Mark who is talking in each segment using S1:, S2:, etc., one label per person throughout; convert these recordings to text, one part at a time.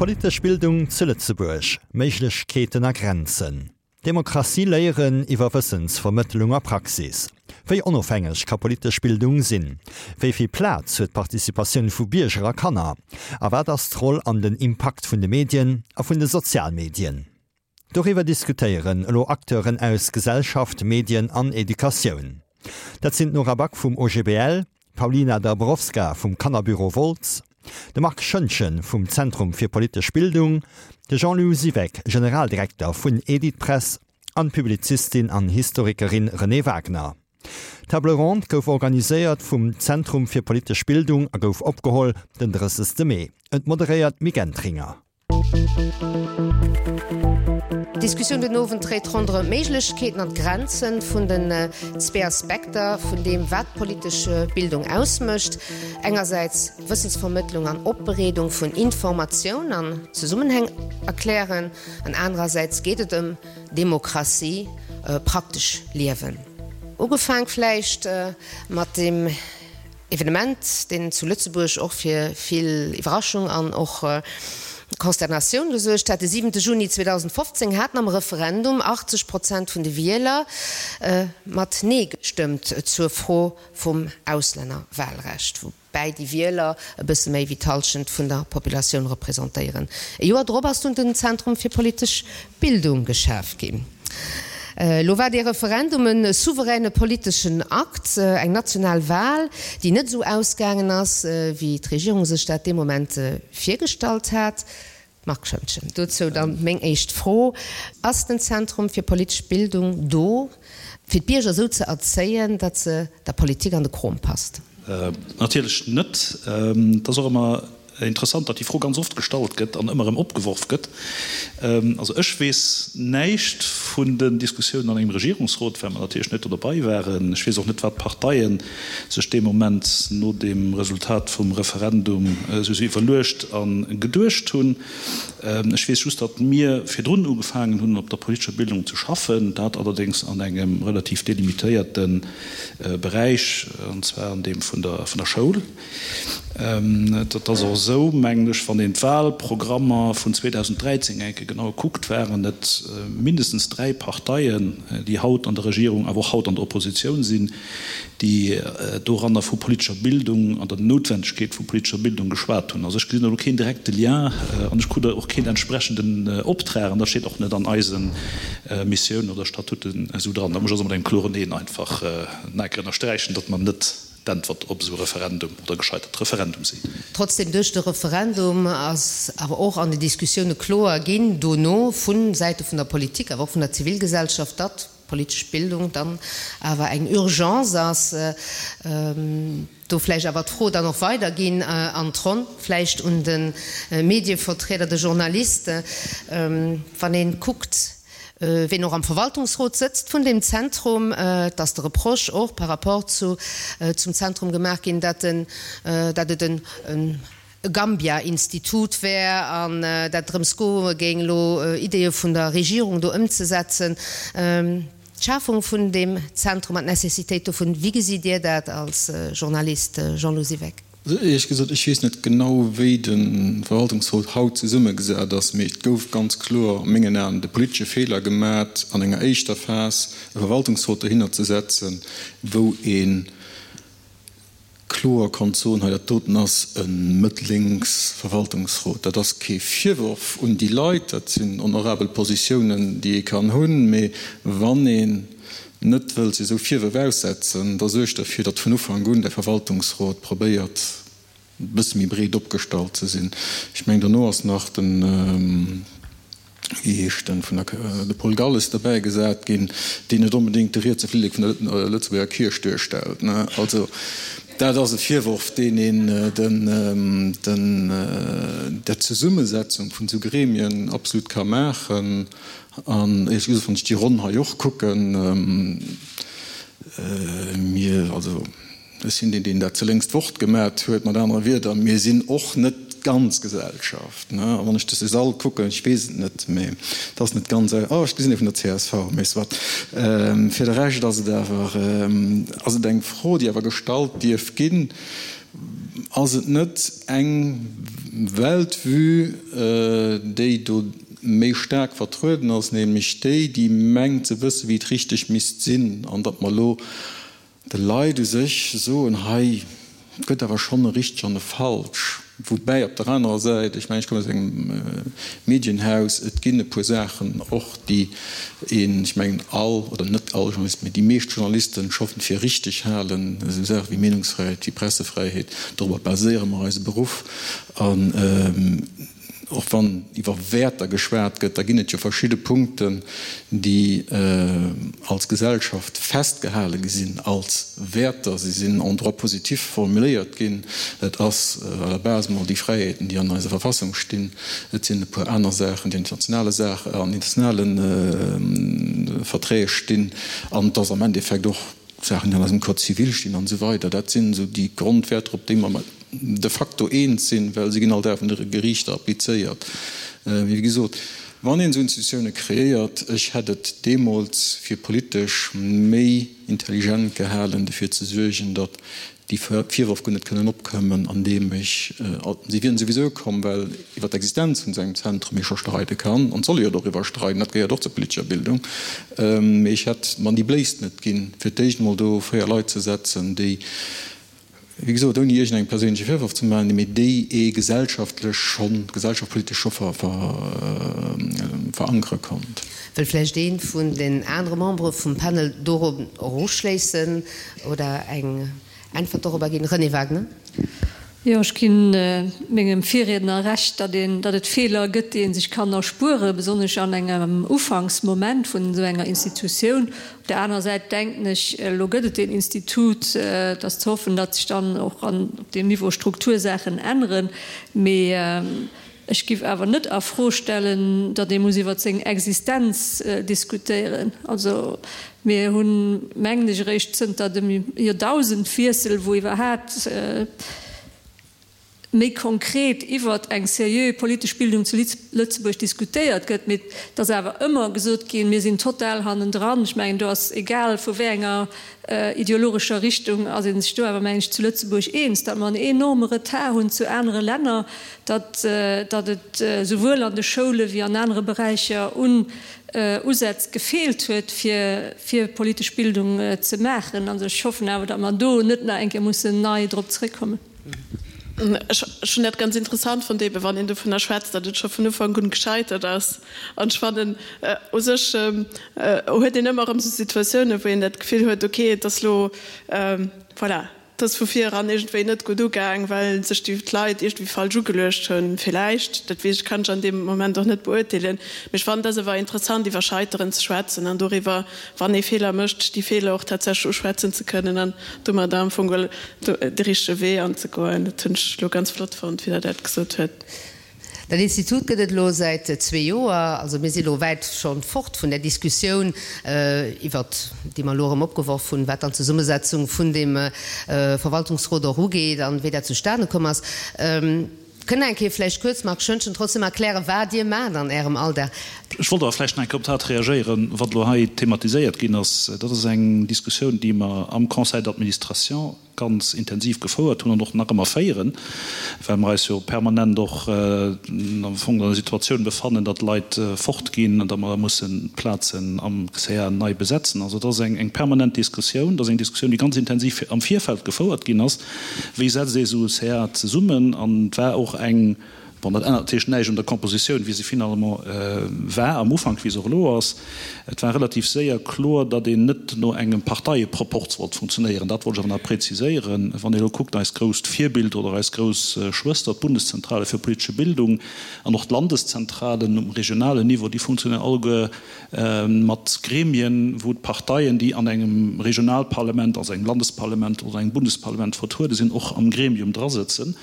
S1: Politesch Bildung zu Lëtzebuerg, Méiglechkeeten a Grenzen. Demokratie léieren iwwer Wëssensvermëttlung a Praxis. Wéi onofhängeg ka politesch Bildung sinn? Wéi vill Plaz huet d'Participatioun vu Bierger a Kanner? A wat ass d'Roll an den Impakt vun de Medien a vun de Sozialmedien? Doriwwer diskutéieren elo Acteuren aus Gesellschaft, Medien an Educatioun. Dat sinn d'Nora Back vum OGBL, d'Paulina Dabrowska vum Kannerbüro Wolz, de Marc Schoentgen vum Zentrum fir politesch Bildung, de Jean-Lou Siweck, Generaldirekter vun Editpress an d'Publizistin an Historikerin Renée Wagner. D'Table ronde gouf organiséiert vum Zentrum fir politesch Bildung a gouf opgeholl den 30. Mee. Et moderéiert d'Mick Entringer.
S2: D'Diskussioun den Owend dréit ronderëm d'Méiglechkeeten an d'Grenze vun den zwee Aspekter vun deem, wat politesch Bildung ausmécht, engersäits Wëssensvermëttlung an Opbereedung vun Informatioun an Zesummenhäng erklären, an anerersäits geet et ëm Demokratie praktesch liewen. Ugefaang vläicht mat deem. Evenement, deen zu Lëtzebuerg och fir vill Iwwerraschung an och Consternatioun gesuergt hat. De siwente Juni 2015 haten am Referendum 80 Prozent vun de Wieler mat Nee gestëmmt zur Fro vum Auslännerwahlrecht, woubäi déi Wieler e bësse méi wéi d'Hallschent vun der Populatioun representéieren. E Joer drop ass dunn den Zentrum fir politesch Bildung geschaf ginn. Elo war dee Referendum e souveräne politeschen Akt, eng national Wahl, déi net esou ausgaangen ass, wéi d'Regierung sech dat dee Moment virgestallt hat. Marc Schoentgen, Dozou dann meng éischt Fro, Ass den Zentrum fir politesch Bildung do, fir d'Bierger esou ze erzéien, datt se der Politik an de Krom passt?
S3: Natierlech net. Et ass och ëmmer Interessant, datt déi Fro ganz oft gestallt gëtt an ëmmer erëm opgeworf gëtt. Also ech weess näischt vun den Diskussiounen an engem Regierungsrot, well mer natierlech net do dobei waren. Ech weess och net, wat d'Parteie sech dee Moment no dem Resultat vum Referendum esou iwwerluecht a geduecht hunn. Ech weess just, datt mir virdrun ugefaangen hunn, op der politescher Bildung ze schaffen, dat allerdéngs an engem relativ delimitéierte Beräich, an zwar an deem vun der Schoul. Et ass och esou, mengen ech, wann een d'Wahlprogrammer vun 2013 eng Kéier genau kuckt, waren et mindestens dräi Parteien, déi haut an der Regierung, awer och haut an der Oppositioun sinn, déi doranner vu politescher Bildung an der Noutwendegkeet vu politescher Bildung geschwat hunn. Also ech gesinn elo keen direkte Lien an ech krut och keen entsprechenden Optrag an dat steet och net an eise Missiounen oder Statuten esou dran. Da muss ech also mat engem kloren Neen einfach nach eng Kéier ënnersträichen, datt mer net d'Äntwert op esou e Referendum oder gescheitert Referendum sinn.
S2: Trotzdem, duerch de Referendum ass awer och an den Diskussioune kloer ginn dono vu Säite vun der Politik, awer och vun der Zivilgesellschaft, datt politesch Bildung dann awer eng Urgence ass. Do vläicht awer d'Fro dann och weiderginn an d'Ronn, vläicht un de Medievertrieder, de Journalist, wann ee kuckt, ween och am Verwaltungsrot sëtzt vun deem Zentrum, et ass de Reproche och par rapport zu zum Zentrum gemaach ginn, dat en, dat et en Gambia-Institut wär an dat et drëms goe géing, elo Ideeë vun der Regierung do ëmzesetzen. D'Schafung vun deem Zentrum an d'Necessitéit dovun, wéi gesitt Dir dat als Journalist, Jean-Lou Siweck?
S4: Éierlech gesot, ech weess net genau, wéi de Verwaltungsrot haut zesummegesat ass, mee et gouf ganz kloer a mengen Aen de politesche Feeler gemat, an enger éischter Phas e Verwaltungsrot dohinner ze setzen, wou ee kloer konnt soen, hei dat doten ass e mëtt-lénks Verwaltungsrot. Dat ass kee Virworf un déi Leit, dat sinn honorabel Positiounen, déi ee kann hunn, mee wann een net wëllt sech esou Virwërf aussetzen, da suergt derfir, datt vun Ufank un de Verwaltungsrot probéiert e bësse méi breet opgestallt ze sinn. Ech mengen, dono ass nach den, wéi heescht en, vun der, de Paul Galles derbäi gesat ginn, deen net onbedéngt de rietse Flillek vun der Lëtzebuerger Kierch duerstellt. Also dat ass e Virworf, deen een den, den, der Zesummesetzung vun esou Gremien absolut ka maachen. An éierlech gesot, wann ech déi Ronn hei och kucken, mir, also ech sinn deen, deen dat zeléngst Wort gemat huet, mat anere Wierder, mir sinn och net d'ganz Gesellschaft. A wann ech dëse Sall kucken, ech weess et net, mä et ass net ganz, oh, ech gesinn ee vun der csv, mä soit. Fir de Rescht ass et awer, ass et eng Fro, déi awer gestallt dierf ginn. Ass et net eng Weltvue, déi do méi staark vertrueden ass, nämlech déi, déi mengt ze wëssen, wéi et richteg misst sinn, an datt mer elo de Leit u sech soen, hei gëtt awer schonn e richteg an e falsch. Woubäi op der anerer Säit, ech mengen, ech kommen aus engem Medienhaus, et ginn e puer Saachen och, déi een, ech mengen all, oder net all Journalisten, mee déi meescht Journalisten scho fir richteg halen, esou Saache wéi Meenungsfräiheet, wéi Pressefräiheet, dorobber baséiere mer eise Beruff. An och wann iwwer Wäerter geschwat gëtt, da ginn et jo verschidde Punkten, déi als Gesellschaft festgehale gi sinn als Wäerter. Se sinn en droit positif formuléiert ginn. Et ass à la base mol déi Fräiheeten, déi an eiser Verfassung stinn. Et sinn e puer aner Saachen, déi an internationale Saachen, an internationale Verträg stinn. An et ass am Endeffekt och Saachen, déi an eisem Code civil stinn an esou weider. Dat sinn esou déi Grondwäerter, op déi mer de facto eens sinn, well se ginn all Dag vun de Geriichter applizéiert. Mee wéi gesot, wann een esou Institutioune kreéiert, ech hätt et deemools fir politesch méi intelligent gehalen, dofir ze suergen, datt déi Virwërf guer net kënnen opkommen, andeem ech, si wieren souwisou komm, well iwwer d'Existenz vun esou engem Zentrum ee scho streide kann, an et soll ee jo doriwwer streiden, dat gehéiert och zur politescher Bildung, mee ech hätt mer déi Bléisst net ginn, fir d'éischt emol do 4 Leit ze setzen, déi, wéi gesot, ouni iergendengem perséinleche Virworf ze maachen, mee déi ee gesellschaftlech schonn, gesellschaftspolitesch scho verankere konnt.
S2: Wëll vläicht ee vun den anere Membere vum Panel dorop eruschléissen oder eng Äntwert dorobber ginn? Renée Wagener.
S5: Jo, ech ginn mengem Virriedner Recht, datt een, datt et Feeler gëtt, déi ee sech kann erspueren, besonnesch an engem Ufanksmoment vun esou enger Institutioun. Op där anerer Säit denken ech, elo gëtt et deen Institut, et ass ze hoffen, datt sech dann och an op deem Niveau Struktursaachen änneren. Mee Ech giff awer net a Fro stellen, datt ee muss iwwer seng Existenz diskutéieren. Also mir hunn, mengen ech, eréischt zënter dem Joerdausendwiessel, wou iwwerhaat méi konkret iwwer eng seriö politesch Bildung zu Lëtzebuerg diskutéiert gëtt, mee et ass awer ëmmer gesot ginn, mir sinn total hannendran. Ech mengen, do ass egal vu wéi enger ideologescher Richtung ass ee sech do awer, mengen ech, zu Lëtzebuerg eens, datt mer en enorme Retard hunn zu anere Länner, datt datt et souwuel an de Schoule wéi an anere Beräicher un Usätz gefeelt huet, fir fir politesch Bildung ze maachen. Also ech hoffen awer, datt mer do net nach eng Kéier mussen nei drop zréckkommen.
S6: Ech hunn dat ganz interessant fonnt, eebe wann een dovunner schwätzt, datt et scho vun Ufank un gescheitert ass. An ech fannen, u sech huet een ëmmer erëm esou Situatiounen, wou een dat Gefill huet, okay, et ass elo, voilà, Et ass vu vir eran iergendwéi net gutt ugaang, well sech déi Leit iergendwéi falsch ugeluecht hunn, villäicht. Dat weess ech, kann ech an deem Moment och net beurteelen. Mee ech fannen, et ass awer interessant, iwwer Scheiteren ze schwätzen an doriwwer, wann ee Feeler mécht, déi Feeler och tatsächlech uschwätzen ze kënnen an domadder am Fong de richtege Wee anzegoen. Dat hunn ech elo ganz flott fonnt, wéi Der dat gesot huet.
S2: Dat Institut gëtt et elo säit zwee Joer. Also mir si elo wäit scho fort vun där Diskussioun, iwwert déi mer elo erëm opgeworf hunn, wat dann d'Zesummesetzung vun deem Verwaltungsrot och ugeet an wéi dat zustane komm ass. Kënnt Der eng Kéier vläicht kuerz, Marc Schoentgen, trotzdem erklären, wat Dir maacht an Ärem Alldag?
S3: Ech wollt awer vläicht nach eng Kéier op dat reagéieren, wat elo hei thematiséiert ginn ass. Dat ass eng Diskussioun, déi mer am Conseil d'administration ganz intensiv gefouert hunn an och nach ëmmer féieren, well mer eis jo permanent och am Fong an der Situatioun befannen, datt Leit fortginn an datt mer da mussen d'Plazen am CA nei besetzen. Also et ass eng permanent Diskussioun, et ass eng Diskussioun, déi ganz intensiv am Virfeld gefouert ginn ass, Wéi setzt ee sou e CA zesummen? An et war och eng Bon, dat ännert natierlech näischt un der Kompositioun, wéi se finalement war am Ufank, wéi se och elo ass. Et war relativ séier kloer, datt een net no engem Parteieproporz wollt funktionéieren. Dat wollt ech awer nach präziséieren. Wann ee elo kuckt, eist grousst Virbild oder eis grouss Schwëster, d'Bundeszentrale für politische Bildung an och d'Landeszentralen um regionalen Niveau, déi funktionéieren alleguer mat Gremien, wou d'Parteien, déi an engem Regionalparlament, also engem Landesparlament oder engem Bundesparlament vertruede sinn, och am Gremium drasëtzen.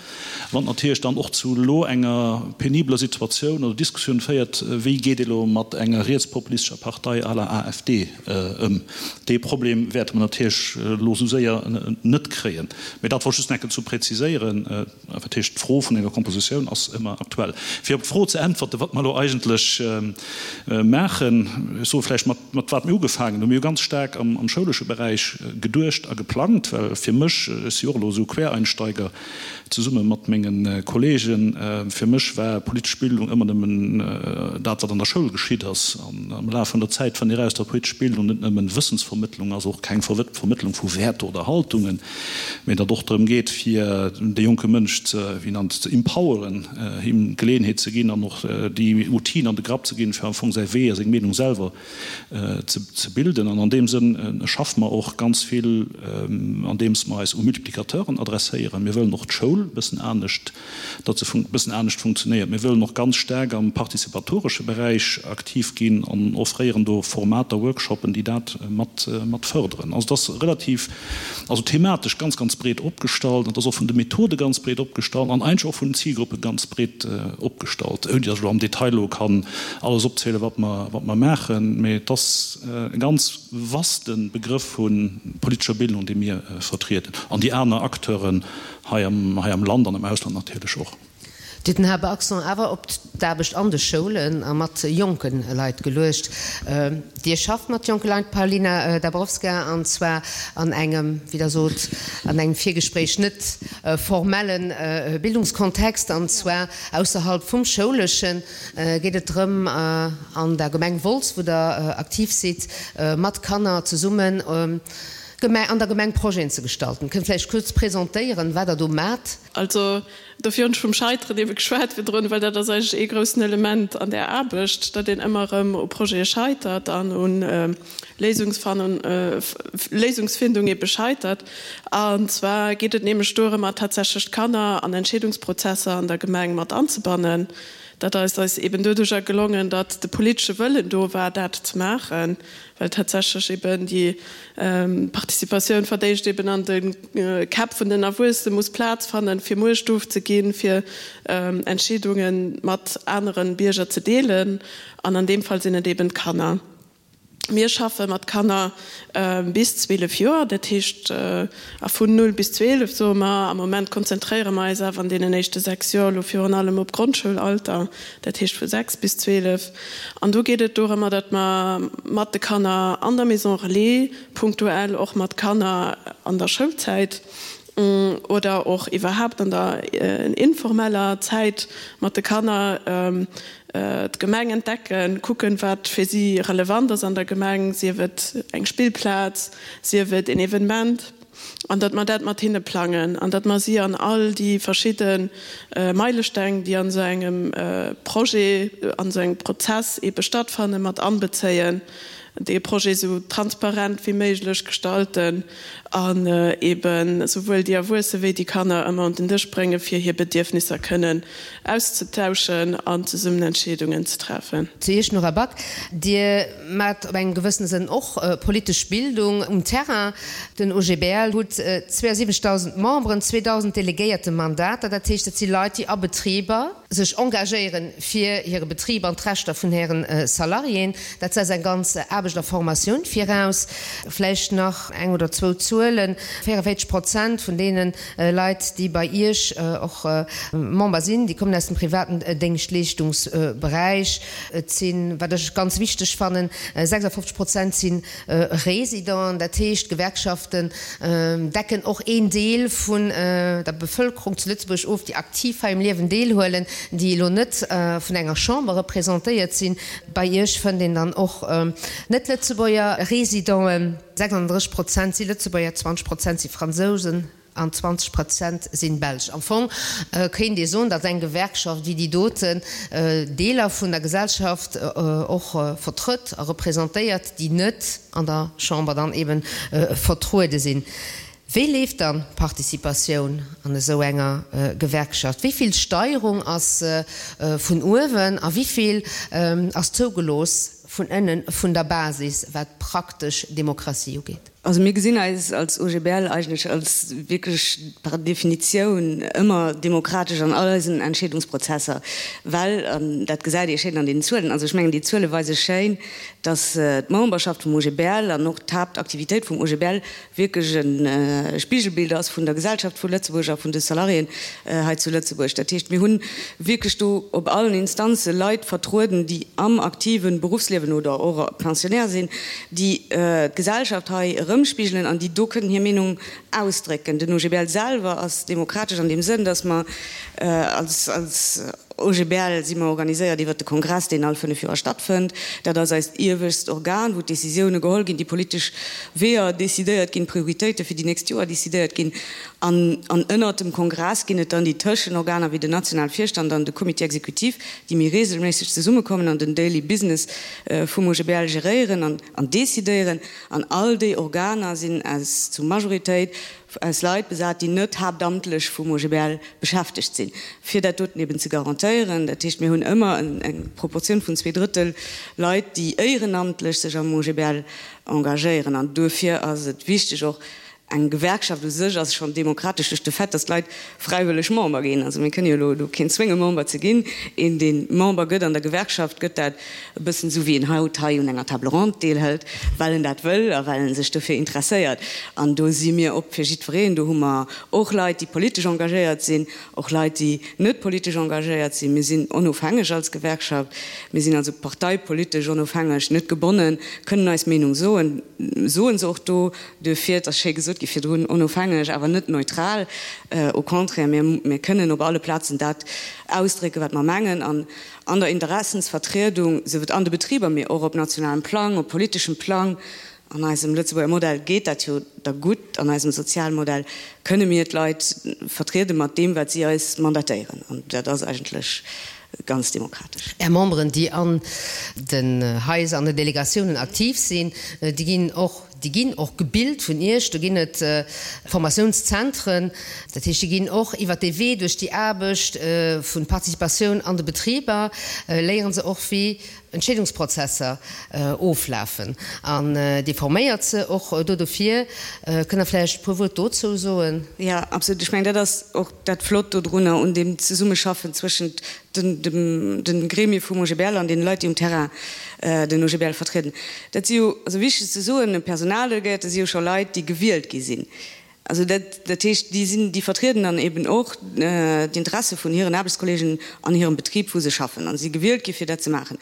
S3: Wann natierlech dann och zu elo enger. enger penibeler Situatioun oder Diskussioun féiert, wéi geet ee elo mat enger rietspopulistescher Partei à la AfD ëm. Dee Problem wäerte mer natierlech elo esou séier net kréien. Mee dat wollt ech just nach eng Kéier zu präziséieren. Dat heescht, d'Fro vun enger Kompositioun ass ëmmer aktuell. Fir op d'Fro ze äntwerten, wat mer elo eigentlech maachen, ech soe vläicht, mat mat wat mir ugefaangen hunn. Mir hu ganz staark am schoulesche Beräich geduecht a geplangt, well fir mech, ech si och elo esou Quereinsteiger zesumme mat menge Kollegen, fir mech war politesch Bildung ëmmer nëmmen dat, wat an der Schoul geschitt ass. An am Laf vun der Zäit fënnt ee eraus, datt politesch Bildung net nëmmen Wëssensvermëttlung ass, och keng Vermëttlung vu Wäerter oder Haltungen, mee datt och drëm geet, fir de jonke Mënsch ze, wéi nannt, ze empoweren, him d'Geleeënheet ze ginn an och déi Outile an de Grapp ze ginn, fir am Fong säi Wee a seng Meenung selwer ze bilden. An an deem Sënn schaffe mer och ganz vill, andeems mer eis u Multiplicateuren adresséieren. Mir wëllen och d'Schoul e bëssen anescht, datt se e bëssen anescht funktionéiert. Mir wëllen och ganz staark am participatoresche Beräich aktiv ginn an offréieren do Formater, Workshoppen, déi dat mat mat fërderen. Also et ass relativ, also thematesch ganz, ganz breet opgestallt an et ass och vun de Methode ganz breet opgestallt an eigentlech och vun den Zilgruppe ganz breet opgestallt, ouni datt ech elo am Detail elo kann alles opzielen, wat mer wat mer maachen. Mee et ass e ganz vaste Begrëff vu politescher Bildung, dee mir vertrieden an déi aner Acteuren Hei am, hei am Land an am Ausland natierlech och.
S2: Dir hutt den Haaptaccent awer op d'Aarbecht an de Schoulen a mat jonke Leit geluecht. Dir schafft mat jonke Leit, Paulina Dabrowska, an zwar an engem, wéi Der sot an engem Virgespréich, net formelle Bildungskontext, an zwar ausserhalb vum Schouleschen. Geet et drëm, an der Gemeng Wolz, wou Der aktiv sidd, mat Kanner zesummen, Gemeng, an der Gemeng Projeten ze gestalten. Kënnt vläicht kuerz presentéieren, wat Der do maacht?
S6: Also, dofir hunn ech vum Scheiteren ebe geschwat virdrun, well dat ass eigentlech ee groussen Element an där Aarbecht, datt een ëmmer erëm u Projete scheitert an u Léisungsfindung ebe scheitert. An zwar geet et nämlech dorëmmer, tatsächlech d'Kanner an Entscheedungsprozesser an der Gemeng mat anzebannen. Dat ass eis eben doduercher gelongen, datt de politesche Wëllen do war, dat ze maachen. well tatsächlech eben déi Participatioun verdéischt eben an de Käpp vun den Erwuessene muss Plaz fannen, fir Muecht ofzeginn, fir Entscheedunge mat anere Bierger ze deelen. An an deem Fall sinn et eben d'Kanner. Mir schaffe mat Kanner bis 12 Joer, dat heescht a vun 0 bis 12 soe mer. Am Moment konzentréiere mer eis awer an deenen éischte 6 Joer elo virun allem op Grondschoulalter, dat heescht vu 6 bis 12. An do geet et dorëmmer, datt mer mat de Kanner an der Maison relais, punktuell och mat Kanner an der Schoulzäit oder och iwwerhaapt an der informeller Zäit mat de Kanner d'Gemeng entdecken, kucken, wat fir si relevant ass an der Gemeng, sief et eng Spillplaz, sief et een Evenement. An datt mer dat mat hinne plangen an datt mer si an all déi verschidde Meilesteng, déi an esou engem Projet, an esou engem Prozess eebe stattfannen, mat anbezéien, dee Projet esou transparent wéi méiglech gestalten an eebe souwuel déi Erwuesse wéi déi Kanner ëmmer un den Dësch bréngen, fir hir Bedierfnisser kënnen auszetauschen an zesummen Entscheedungen ze treffen.
S2: Zu Iech, Nora Back, Dir Maacht op engem gewëssene Sënn och politesch Bildung um Terrain. Den OGBL hutt 72.000 Memberen, 2.000 delegéierte Mandater, dat heescht, dat si Leit, déi a Betriber sech engagéieren fir hire Betrib an d'Rechter vun hiren Salariéen. Dat setzt eng ganz Aarbecht a Formatioun viraus. Vläicht nach eng oder zwou Zuelen, 44 Prozent vun deene Leit, déi bei Iech och Member sinn, déi kommen aus dem privaten Déngschtleeschtungsberäich. Et sinn, wat ech ganz wichteg fannen, 56 Prozent si Résidenten. Dat heescht, d'Gewerkschaften decken och een Deel vun der Bevëlkerung zu Lëtzebuerg of, déi aktiv hei um Liewen deelhuelen, déi elo net vun enger Chamber representéiert sinn. Bei Iech fënnt een dann och Net-Lëtzebuerger Résidenten. 36 Prozent si Lëtzebuerger, 20 Prozent si Fransousen. An 20 Prozent sinn Belsch. Am Fong kéint ee soen, datt eng Gewerkschaft wéi déi doten Deeler vun der Gesellschaft och vertrëtt a representéiert, déi net an der Chamber dann eben vertruede sinn. Wéi leeft dann d'Participatioun an esou enger Gewerkschaft? Wéi vill Steierung ass vun uewen a wéi vill ass zougelooss vun ënnen, vun der Basis, wat praktesch Demokratie ugeet?
S7: Also mir gesinn eis als OGBL eigentlech als wierklech par Definitioun ëmmer demokratesch an all eisen Entscheedungsprozesser, well, an dat gesäit ee schéin an deenen Zuelen, also ech mengen déi Zuele weise schéin, datt d'Memberschaft vum OGBL an och d'Haaptaktivitéit vum OGBL wierklech e Spigelbild ass vun der Gesellschaft vu Lëtzebuerg a vun de Salariéen hei zu Lëtzebuerg. Dat heescht, mir hu wierklech do op allen Instanze Leit vertrueden, déi am aktive Beruffsliewen oder och Pensionnaire sinn, déi d'Gesellschaft hei erëmspigelen an déi do kënnen hir Meenung ausdrécken. Den OGBL selwer ass demokratesch an deem Sënn, datt mer als OGBL si mer organiséiert iwwert de Kongress, deen all 5 Joer stattfënnt. Dat ass eist iewescht Organ, wou d'Decisioune geholl ginn, déi politesch Weeër decidéiert ginn, d'Prioritéite fir déi nächst Joer decidéiert ginn. An ënnert dem Kongress ginn et dann déi Tëschenorganer wéi den nationale Virstand an de Comité exécutif, déi méi reegelméisseg zesummekommen an den Daily Business vum OGBL geréieren an decidéieren. An all déi Organer sinn aus zu Majoritéit aus Leit besat, déi net haaptamtlech vum OGBL beschäftegt sinn, fir dat doten eben ze garantéieren. Dat heescht, mir hunn ëmmer eng Proportioun vun 2/3 Leit, déi éierenamtlech sech am OGBL engagéieren. An duerfir ass et wichteg och, eng Gewerkschaft u sech ass schonn demokratesch duerch de Fait, datt d'Leit fräiwëlleg Member ginn. Also mir kënne jo elo do keen zwénge Member ze ginn. Een, dee Member gëtt an der Gewerkschaft, gëtt dat e bëssen esou wéi een haut hei un enger Table ronde deelhëlt, well en dat wëll a well en sech dofir interesséiert. An do si mir op fir jiddwereen. Do hu mer och Leit, déi politesch engagéiert sinn, och Leit, déi net politesch engagéiert sinn. Mir sinn onofhängeg als Gewerkschaft. Mir sinn also parteipolitesch onofhängeg, net gebonnen, kënnen eis Meenung soen, soe se och do. Duerfir, et ass schéi gesot gi virdrun, onofhängeg, awer net neutral. Au contraire, mir, mir kënnen op alle Plazen dat ausdrécken, wat mer mengen. An an der Interessensvertriedung, sief et an de Betriber, mee och op nationalem Plang, op politeschem Plang, an eisem Lëtzebuerger Modell geet dat jo da gutt, an eisem Sozialmodell kënne mir d'Leit vertriede mat deem, wat si eis mandatéieren. An dat ass eigentlech ganz demokratesch.
S2: Är Memberen, déi an den Haiser, an den Delegatiounen aktiv sinn, déi ginn och, déi ginn och gebilt vun Iech. Do ginn et Formatiounszentren. Dat heescht, déi ginn och iwwert dee Wee, duerch déi Aarbecht vu Participatioun an de Betriber, léiere se och, wéi Entscheedungsprozesser oflafen. An Dir forméiert se och do dofir. Kënnt Der vläicht e puer Wuert dozou soen?
S7: Jo, absolut. Ech mengen, dat ass och dat Flott dodrunner un deem Zesummeschaffen zwëschent de Gremie vum OGBL an deene Leit, déi um Terrain den OGBL vertrieden. Dat si jo, also wichteg ze soen, Personaldelegéierte si jo scho Leit, déi gewielt gi sinn. Also dat, dat heescht, déi sinn, déi vertrieden dann eben och d'Interesse vun hiren Aarbechtskollegen an hirem Betrib, wou se schaffen a si gewielt gi fir dat ze maachen.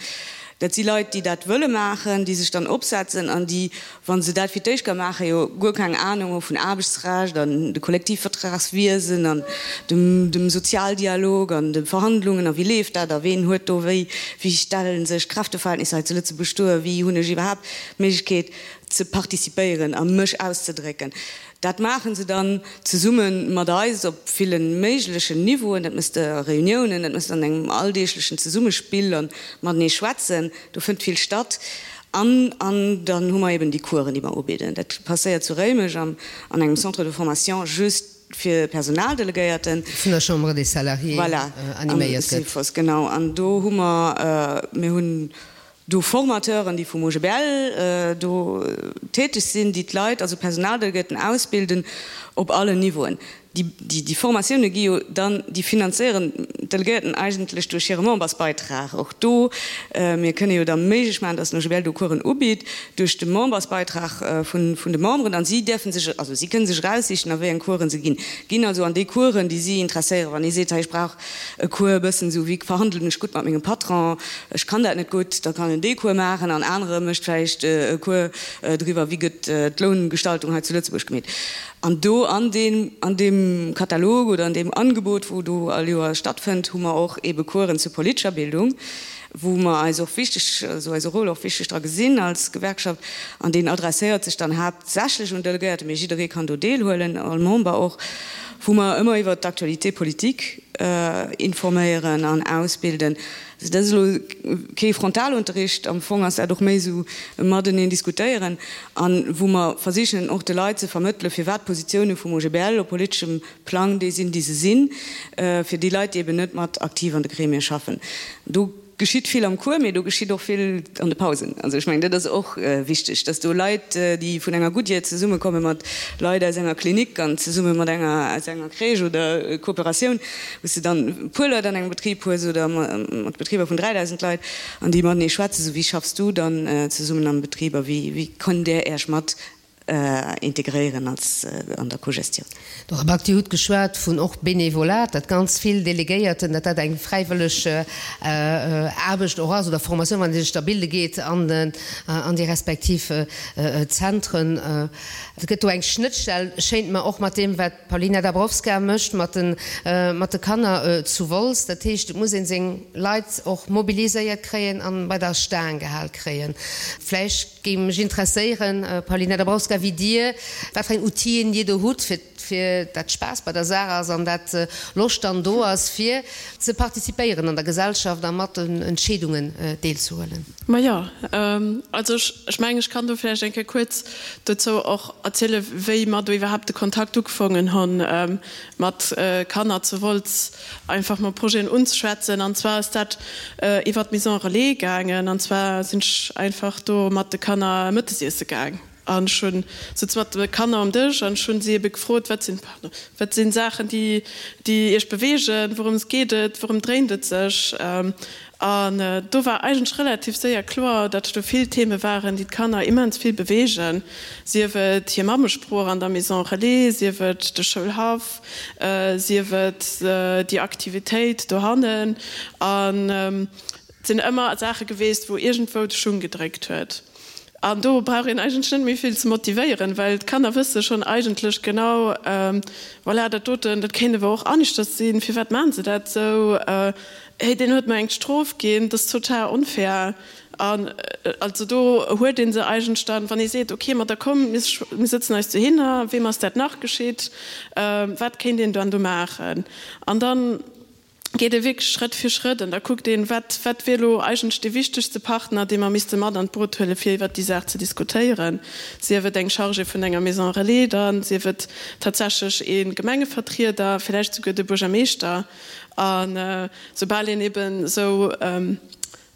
S7: Dat si Leit, déi dat wëlle maachen, déi sech dann opsetzen an déi, wa se dat fir d'éischt ka maachen, jo guer keng Anung hu vun Aarbechtsrecht an de Kollektivvertragswiesen an dem, dem Sozialdialog an de Verhandlungen a wéi leeft dat a ween huet do wéi, wéi stelle sech d'Kräfteverhältnisser hei zu Lëtzebuerg duer, wéi hunn ech iwwerhaapt d'Méiglechkeet ze participéieren a mech auszedrécken. Dat maache se dann zesumme mat eis op ville méiglechen Niveauen. Dat méchs de a Reuniounen, dat méchs de an engem alldeeglechen Zesummespill a matenee schwätzen. Do fënnt vill statt. An an dann hu mer eben déi Coursen, déi mer ubidden. Dat passéiert zu Réimech an engem Centre de formation just fir Personaldelegéierten.
S2: Vun der Chambre des Salariés animéiert
S7: gëtt. Voilà, am Cefos, genau. An do hu mer, mir hunn do Formateuren, déi vum OGBL do täteg sinn, déi d'Leit, also Personaldelegéierten ausbilden op allen Niveauen. Déi Formatioune gi jo dann, déi finanzéieren d'Delegéierten eigentlech duerch hire Membersbeitrag. Och do, mir kënne jo da méiglech maachen, datt den OGBL do Coursen ubitt duerch de Membersbeitrag vun de Memberen an si däerfe sech, also si kënne sech eraussichen a wéi eng Coursen se ginn, ginn also an déi Coursen, déi si interesséieren. Wann ee seet, hei ech brauch e Cours e bëssen esou wéi verhandelen ech gutt mat mengem Patron, ech kann dat net gutt, da kann en dee Cours maachen an anere mécht vläicht e Cours driwwer, wéi gëtt d'Loungestaltung hei zu Lëtzebuerg gemeet. An do an deem, an deem Katalog oder an deem Angebot, wou do all Joer stattfënnt, hu mer och eebe Coursen zur politescher Bildung, wou mer eis och wichteg, also eise Rôle och wichteg dra gesinn als Gewerkschaft. An deen adresséiert sech dann haaptsächlech un Delegéierte, mee jidderee kann do deelhuelen, all Member och, wou mer ëmmer iwwert d'Actualité politique informéieren an ausbilden. Also dat ass elo kee Frontalunterricht, am Fong ass dat och méi esou e Mateneen diskutéieren a wou mer versichen och de Leit ze vermëttelen, firwat d'Positioune vum OGBL op politeschem Plang déi sinn, déi se sinn, fir déi Leit, déi eben net mat aktiv an de Gremie schaffen. Do. geschitt vill am Cours, mee do geschitt och vill an de Pausen. Also ech mengen, dat ass och wichteg, dass do Leit, déi vun enger Goodyear zesummekomme mat Leit aus enger Klinik an zesumme mat enger aus enger Crèche oder Kooperatioun, wou s de dann e puer Leit an engem Betrib hues oder mat Betriber vun 3.000 Leit an déi matenee schwätzen, sou wéi schaffs du dann zesummen am Betrib a wéi wéi kënnt Där Äech mat integréieren als an der Cogestioun.
S2: Dora Back, Dir hutt geschwat vun och Benevolat, dat ganz vill Delegéierten, dat dat eng fräiwëlleg Aarbecht och ass oder Formatioun, wann ee sech da bilde geet an an déi respektiv Zentren. Et gëtt do eng Schnëttstell, schéint mer, och mat deem wat d'Paulina Dabrowska mécht mat de mat de Kanner zu Wolz. Dat heescht, et muss ee seng Leit och mobiliséiert kréien an bei der Staang gehal kréien. Vläicht Géing mech interesséieren, Paulina Dabrowska, wéi Dir, wat fir eng Outill'en Dir do hutt, fir fir dat Spaass bei der Saach ass an dat Loscht dann do ass, fir ze participéieren an der Gesellschaft a mat den Entscheedungen deelzehuelen.
S6: Majo, also ech mengen, ech kann do vläicht eng Kéier kuerz dozou och erzielen, wéi mer do iwwerhaapt de Kontakt ugefongen hunn mat Kanner zu Wolz. einfach mol Projeten unzeschwätzen. An zwar ass dat iwwert d'Maison Relais gaangen. An zwar sinn ech einfach do mat de Kanner Mëttes iesse gaang. An ech hunn souz mat de Kanner um Dësch an ech hunn si ebe gefrot, wat sinn, pardon, wat sinn Saachen, déi, déi iech beweegen, wourëms geet et, wourëm dréint et sech? An do war eigentlech relativ séier kloer, datt do vill Theme waren, déi d'Kanner immens vill beweegen, sief et hir Mammesprooch an der Maison Relais, sief et de Schoulhaff, sief et déi Aktivitéit dohannen. An et sinn ëmmer Saache geweest, wou iergendwou de Schung gedréckt huet. An do brauch een eigentlech net méi vill ze motivéieren, well d'Kanner wësse schonn eigentlech genau, voilà, dat doten, dat kéint awer och aneschters sinn, firwat maachen se dat esou? Hey, deen huet mer eng Strof ginn, dat ass total onfair. An also do huet ee se eigentlech dann, wann ee seet, okay, ma da komm, mir sëtzen eis dohinner, weem ass dat nach geschitt, wat kéint een dann do maachen? An dann geet ee wierklech Schrëtt fir Schrëtt an da kuckt een, wat, wat wier elo eigentlech dee wichtegste Partner, dee mer misste mat an d'Boot huelen, fir iwwert déi Saach ze diskutéieren, sief et eng Chargée vun enger Maison relais dann, sief et tatsächlech ee Gemengevertrieder, villäicht souguer de Buergermeeschter. A soubal een eben esou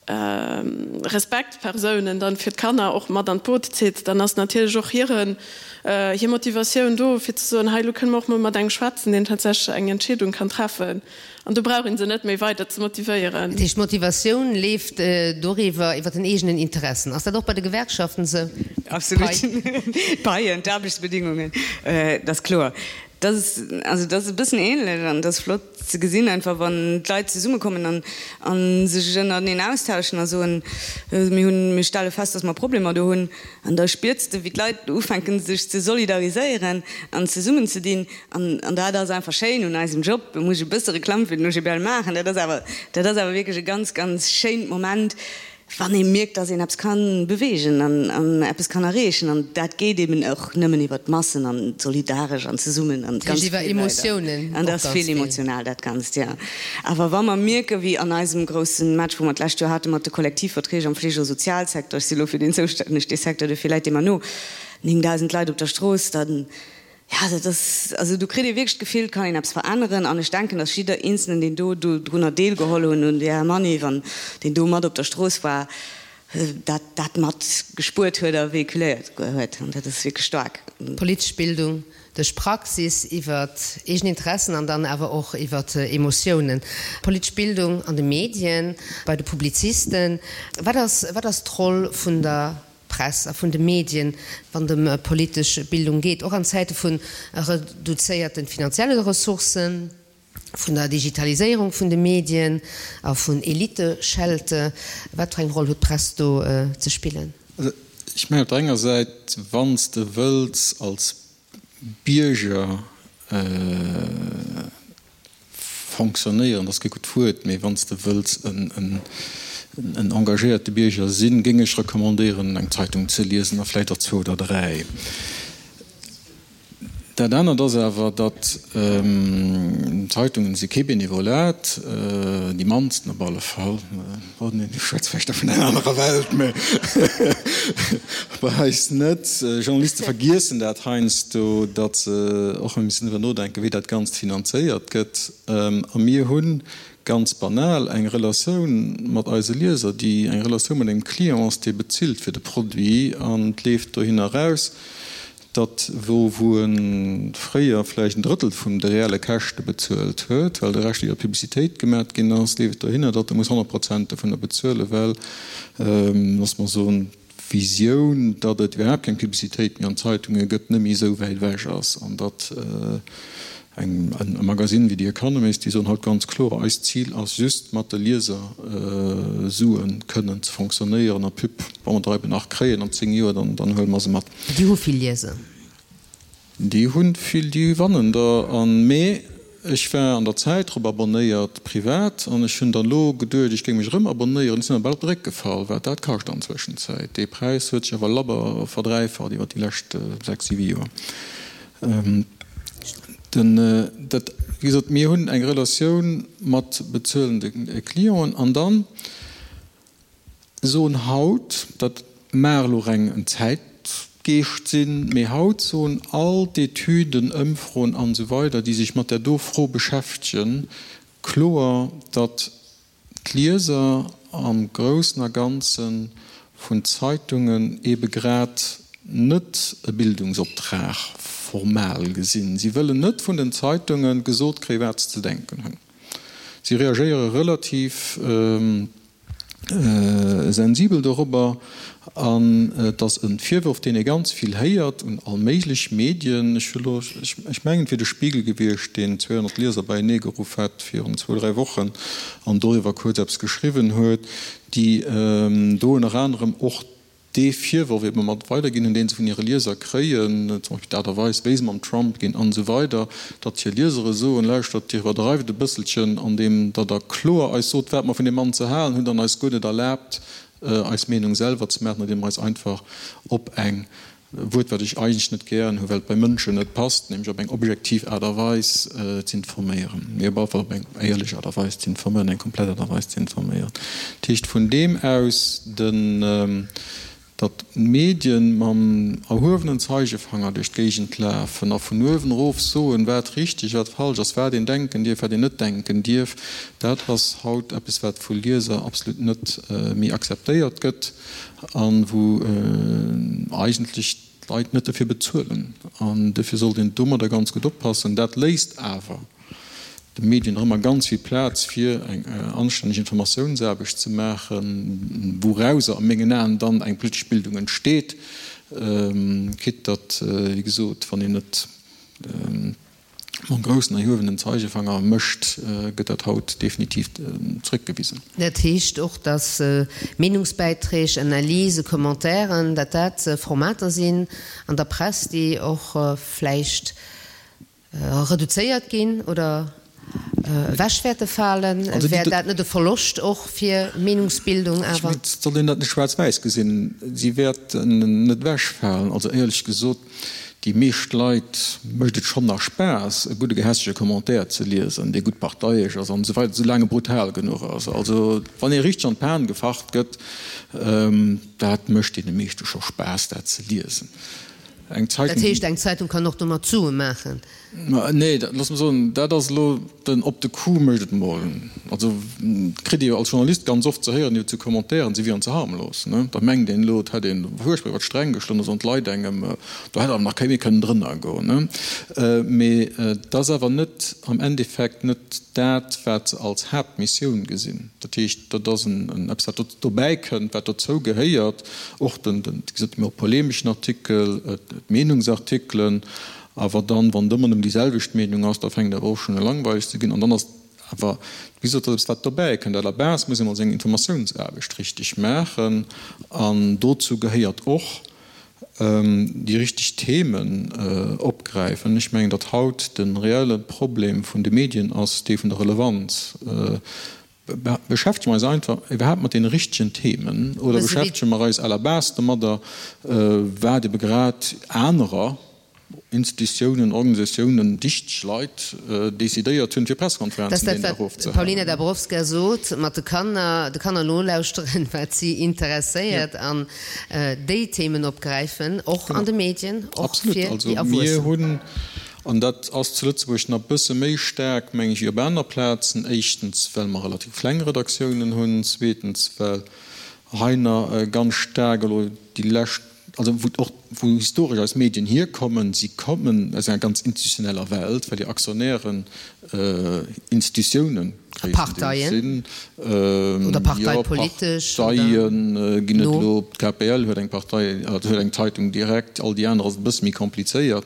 S6: Respektpersounen dann fir d'Kanner och mat an d'Boot zitt, dann ass natierlech och hiren, hir Motivatioun do, fir ze soen, hei elo kënne mer och mol mat engem schwätzen, deen tatsächlech eng Entscheedung kann treffen. An do brauch ee se net méi weider ze motivéieren.
S2: Dat heescht, d'Motivatioun leeft doriwwer, iwwer den eegenen Interessen. Ass dat och bei de Gewerkschaften esou?
S7: Absolut. D'Paien, d'Aarbechtsbedingungen, dat ass kloer. Dat ass, also dat ass e bëssen ähnlech an dat ass flott ze gesinn einfach, wann d'Leit zesummekommen an a sech ënnerteneen austauschen a soen, mir hunn, mir stelle fest, dass mer Problemer do hunn. An da spiers de wéi d'Leit ufänken sech ze solidariséieren an zesummenzedinn an an dat ass einfach schéin un eisem Job. Do muss ech e bësse Reklamm fir den OGBL maachen, dat ass awer, dat ass awer wierklech e ganz, ganz schéint Moment, Wann ee mierkt, dass een eppes ka beweegen an eppes kann erreechen, an dat geet eben och nëmmen iwwer d'Massen an solidaresch an zesummen an ganz vill Leit. An dat ass vill emotional, dat Ganzt, jo. Awer wa mer mierken, wéi an eisem grousse Match, wou mer d'lescht Joer hate mat de Kollektivverträg am Fleege a Sozialsecteur, ech si elo fir deen zoustänneg, dee Secteur, dofir läit dee mer no, 9.000 Leit op der Strooss, dann, Jo, dat ass, also do kritt ee wierklech d'Gefill, et kann een eppes veränneren. An ech denken, datt jidder Eenzelnen, deen do drunner deelgeholl hunn, un där Manif an deen do mat op der Strooss war, dat dat mat gespuert huet a véhiculéiert huet. An dat ass wierklech staark.
S2: Politesch Bildung duerch Praxis, iwwer eegen Interessen an dann awer och iwwer Emotiounen. Politesch Bildung an de Medien, bei de Publizisten. Wat ass, wat ass d'Roll vun der Press a vun de Medien, wann et ëm politesch Bildung geet, och an Zäite vu reduzéierte finanzielle Ressourcen, vun der Digitaliséierung vun de Medien a vun Eliteschelte? Wat fir eng Roll huet d'Press do ze spillen?
S4: Also ech mengen op der enger Säit, wann s de wëlls als Bierger Fonctionnéieren ass kee gutt Wuert, mee wann s de wëlls en engagéierte Bierger sinn, géing ech recommandéieren, eng Zeitung ze liesen a vläicht och zwou oder dräi. Dat anert ass awer, datt Zeitungen si kee Benevolat, déi mannsten op alle Fall. Ech schwätze vläicht da vun enger anerer Welt, mä bei eis net. Journaliste vergiessen dat heiansdo, datt se och emol missen driwwer nodenken, wéi dat Ganzt finanzéiert gëtt. A mir hu Ganz banal, eng Relatioun mat eise Lieser, déi eng Relatioun mat engem Client ass, dee bezilt fir de Produit, an et leeft dohinner eraus, datt wou wou e fréier vläicht en Drëttel vun de reelle Käschte bezuelt huet, well de Rescht iwwer Publicitéit gemat ginn ass, leeft et dohinner, datt e muss 100 Prozent dovunner bezuelen, well, loosse mer soen, d'Visioun, datt et iwwerhaapt keng Publicitéit méi an Zeitunge gëtt, net méi esou wäit ewech ass an datt eng e Magasinn wéi The Economist, déi soen haut ganz kloer, eist Zil ass just mat de Lieser Sue kënnen ze fonctionnéieren a Pub, wa mer der eben nach kréien an 10 Joer, dann dann huele mer se mat.
S2: Déi hu vill Lieser.
S4: Déi hunn vill, déi wannen der an. Mee ech war an der Zäit drop abonnéiert, privat, an ech hunn dann elo geduecht, ech géing mech erëm abonnéieren. Ech sinn awer bal op de Réck gefall, wat dat kascht an Zwëschenzäit. Dee Präis huet sech awer labber verdräifacht iwwer déi lescht 6, 7 Joer. Den, dat, wéi gesot, mir hunn eng Relatioun mat bezuelende Clienten an dann, Soen haut, dat mag elo reng en Zäitgeescht sinn, mee haut soen all d'Etüden, Ëmfroen an esou weider, déi sech mat där do Fro beschäftegen, kloer, datt d'Lieser am Groussen a Ganze vun Zeitungen eebe grad net e Bildungsoptrag formal gesinn. Si wëllen net vun den Zeitunge gesot kréien, wat se ze denken hunn. Si reagéiere relativ sensibel dorobber an et ass e Virworf, deen ee ganz vill héiert un all méiglech Medien. Ech hu lo, ech mengen, et wier de Spiegel gewiescht, deen 200 Lieser beienee geruff hat virun zwou, dräi Wochen an doriwwer kuerz eppes geschriwwen huet, déi do ënner anerem och dee Virworf ebe mat weiderginn hunn, dee se vun hire Lieser kréien, zum Beispill d'Aart a Weis, wéi se mam Trump ginn an esou weider, datt hir Liesere soen, Lauschtert, Dir iwwerdreift e bësselchen, andeem datt Der kloer eis sot, wat mer vun deem Mann ze halen hunn, an eis guer net erlaabt, eis Meenung selwer ze maachen, andeem Der eis einfach op eng Wuert, wat ech eigentlech net gären hu, well et bei Mënschen net passt, nämlech op eng objektiv Aart a Weis z'informéieren, mee op alle Fall op eng éierlech Aart a Weis z'informéieren, eng komplett Aart a Weis z'informéieren. Dat heescht, vun deem aus den, datt d'Medien mam erhuewenen Zeigefanger duerch d'Géigend lafen a vun uewen erof soen, wat richteg, wat falsch ass, wat een denken dierf, wat een net denken dierf, dat ass haut eppes, wat vu Lieser absolut net méi akzeptéiert gëtt. A wou eigentlech d'Leit net dofir bezuelen. An dofir sollt een domadder ganz gutt oppassen. Dat léisst awer de Medien nach ëmmer ganz vill Plaz, fir eng anstänneg Informatiounsaarbecht ze maachen, wourauser a mengen Aen dann eng politesch Bildung entsteet, quitte datt, wéi gesot, wann een net Mam groussen erhuewenen Zeigefanger mécht, gëtt dat haut definitiv zréckgewisen.
S2: Dat heescht och, datt Meenungsbäiträg, Analysen, Commentairen, datt dat Formater sinn an der Press, déi och vläicht reduzéiert ginn oder ewech wäerte falen. Wär dat net e Verloscht och fir Meenungsbildung awer?
S4: Et soll een dat net schwaarz-wäiss gesinn. Si wäerten net ewechfalen. Also éierlech gesot, Déi meescht Leit mécht et schonn nach Spaass, e gudde gehässege Commentaire ze liesen, dee gutt parteiesch ass an esou weider, soulaang e brutal genuch ass. Also wann ee richteg an d'Pan gefacht gëtt, dat mécht deene meeschte scho Spaass, dat ze liesen.
S2: Eng Zeitung. Dat heescht, eng Zeitung kann och domat Sue maachen?
S4: Nee, looss mer soen, dat ass elo den op de Coup mécht et mol. Also kritt ee jo als Journalist ganz oft ze héieren, iwwer zu Commentairen, se wieren ze harmlos. Ne? Da mengt een elo, et hätt een fuerchtbar iwwer d'Sträng geschloen, da soen d'Leit engem, do hätt awer nach kee méi kënnen drënner goen. Ne? Mee et ass awer net am Endeffekt net dat, wat se als Haaptmissioun gesinn. Dat heescht, dat ass en eppes, wat dobäi kënnt, wat dozou gehéiert, och den, wéi gesot, de méi polemeschen Artikel, d'Meenungsartikelen. Awer dann, wann et ëmmer nëmmen déi selwecht Meenung ass, da fänkt et awer och schonn u langweileg ze ginn. An dann ass awer, wéi gesot, dat eppes, wat dobäi kënnt. À la base muss ee mol seng Informatiounsaarbecht richteg maachen. An dozou gehéiert och, déi richteg Themen opgräifen. Ech mengen, datt haut de reelle Problem vun de Medien ass dee vun der Relevanz. Beschäftege mer eis einfach iwwerhaapt mat deene richtegen Themen oder beschäftege mer eis à la base domadder, wat ebe grad anerer Institutiounen, Organisatiounen, dichteg Leit decidéiert hunn, fir Presskonferenzen
S2: deen Dag ofzehalen? Dat ass dat, wat d'Paulina Dabrowska sot, mat de Kanner, de Kanner nolauschteren, wat si interesséiert an déi Themen opgräifen, och an de Medien, och fir déi Erwuessen.
S4: Absolut. Also mir hunn. An dat ass zu Lëtzebuerg nach e bësse méi staark, meng ech, wéi op aner Plazen. Éischtens, well mer relativ kleng Redaktiounen hunn. Zweetens, well hei nach ganz staark elo déi lescht, also wou och wou historesch eis Medien hierkommen, si kommen aus enger ganz institutioneller Welt, well hir Aktionären Institutiounen gréisstendeels sinn.
S2: Oder parteipolitesch.
S4: Jo, Parteie ginn et elo, d'KPL huet eng Partei, also huet eng Zeitung direkt, all déi aner ass et e bësse méi komplizéiert.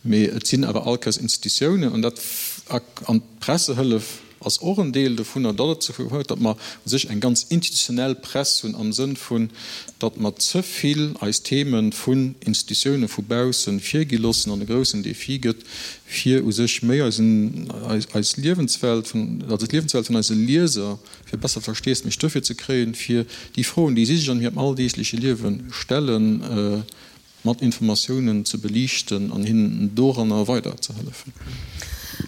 S4: Mee et sinn awer all Kéiers Institutiounen an dat an d'Pressehëllef ass och en Deel dovunner, datt et dozou huet, datt mer u sech eng ganz institutionell Press hunn am Sënn vun, datt mer ze vill eis Theme vun Institutioune vu bausse virgi loossen an e groussen Defi gëtt, fir u sech méi eisen, eis Liewenswelt vun, also d'Liewenswelt vun eise Lieser, fir besser Versteesdemech dofir ze kréien, fir déi Froen, déi si sech an hirem alldeegleche Liewe stellen, mat Informatiounen ze beliichten an hinnen doranner weider ze hëllefen.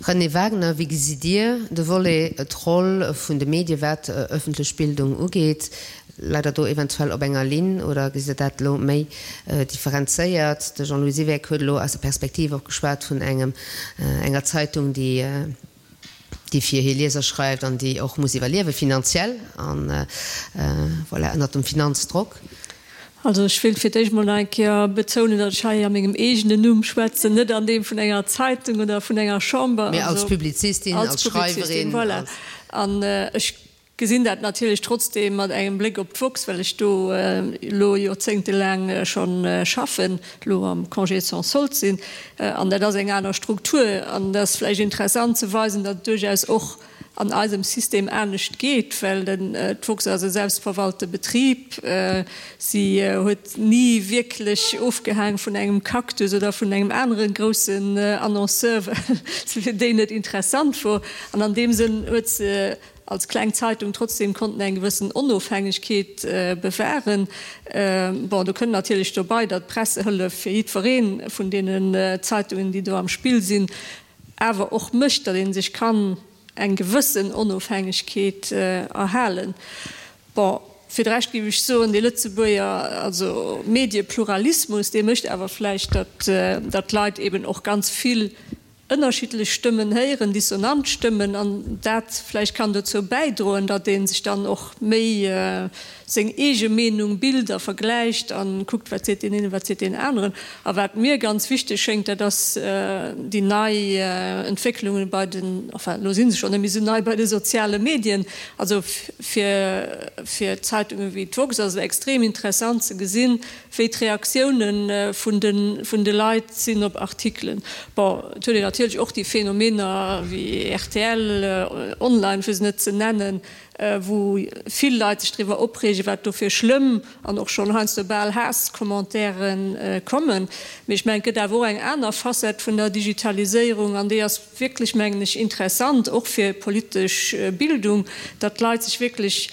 S2: Renée Wagener, Wéi gesitt Dir de Volet, d'Roll vun de Medie wat ëffentlech Bildung ugeet? Leit Der do eventuell op enger Linn oder gesitt Der dat elo méi differenzéiert? De Jean-Louis Siweck huet elo aus der Perspektiv och geschwat vun engem, enger Zeitung, déi, déi fir hir Lieser schreift an déi och muss iwwerliewe finanziell an, voilà, ënnert dem Finanzdrock.
S5: Also ech wéilt fir d'éischt mol nach eng Kéier betounen, datt ech hei a mengem eegenen Numm schwätzen, net an deem vun enger Zeitung oder vun enger Chamber.
S2: Mee als Publizistin, als Schreiwerin.
S5: Voilà. An ech Gesinn dat natierlech trotzdeem mat engem Bléck op d'woxx, well ech do elo joerzéngtelaang schonn schaffen, elo am Congé sans solde sinn. An dat ass eng aner Struktur. An et ass vläicht interessant ze weisen, datt et duerchaus och an eisem System anescht geet, well d'woxx ass e selbstverwalte Betrib. Si huet ni wierklech ofgehaang vun engem Cactus oder vun engem anere groussen Annonceur, well se fir déi net interessant wor. An an deem Sënn huet se als kleng Zeitung trotzdem konnten eng gewëssen Onofhängegkeet bewahren. Bon, do kënnt natierlech dobei, datt d'Pressehëllef fir jiddweree vun deenen Zeitungen, déi do am Spill sinn, awer och mécht, datt ee sech kann eng gewëssen Onofhängegkeet erhalen. Bon, fir de Rescht géif ech soen, dee Lëtzebuerger, also Mediepluralismus, dee mécht awer vläicht, datt d'Leit eben och ganz vill ënnerschiddlech Stëmmen héieren, dissonant Stëmmen, an dat vläicht kann dozou bäidroen, datt ee sech dann och méi seng eege Meenung bilt a vergläicht a kuckt, wat seet deen een, wat seet deen aneren. A wat mir ganz wichteg schéngt, dat ass déi nei Entwécklungen bei den, enfin elo si se schonn net méi esou nei, bei de soziale Medien. Also fir fir Zeitungen wéi d'woxx ass et extrem interessant ze gesinn, wéi d'Reaktioune vun de vun de Leit sinn op Artikelen. Bon, et huet een natierlech och déi Phänomener wéi rtl Online, fir se net ze nennen, wou vill Leit sech driwwer opreegen, wat do fir schlëmm an och schonn heiansdo bal Haasscommentairen kommen. Mee ech mengen, et gëtt awer och eng aner Facette vun der Digitaliséierung an déi ass wierklech, mengen ech, interessant, och fir politesch Bildung, datt d'Leit sech wierklech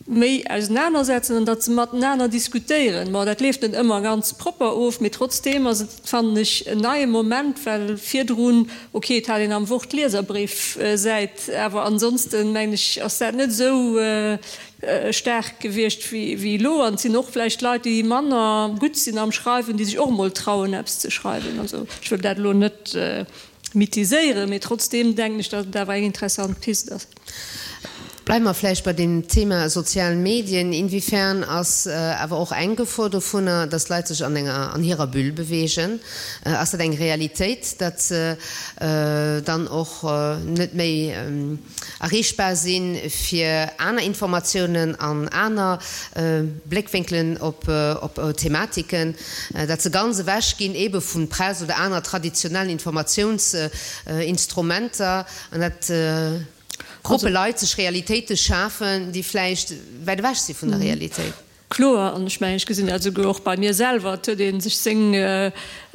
S5: méi ausenanersetzen an datt se matenaner diskutéieren. Bon, dat leeft net ëmmer ganz propper of, mee trotzdeem ass et, fannen ech, en neie Moment, well virdrun, ok, et hat een am Wort d'Lieserbréifsäit, awer ansonsten, mengen ech, ass dat net esou staark gewiescht wéi elo. An et sinn och vläicht Leit, déi manner gutt sinn am Schreiwen, déi sech och emol trauen, eppes ze schreiwen. Also ech wëll dat elo net mythiséieren, mee trotzdeem denken ech, datt et awer eng interessant Pist ass.
S2: Bleiwe mer vläicht bei dem Thema sozial Medien. Inwiefern ass awer och eng Gefor dovunner, dass Leit sech an enger, an hirer Bulle bewegen? Ass dat eng Realitéit, datt se dann och net méi erreechbar si fir aner Informatiounen an aner Bléckwénkelen op Thematiken, datt se ganz ewech ginn eebe vu Press oder aner traditionellen Informatiounsinstrumenter an datt Gruppe Leit sech Realitéite schafen, déi vläicht wäit ewech si vun der Realitéit.
S5: Kloer, an ech mengen, ech gesinn dat esouguer och bei mir selwer, et huet ee sech seng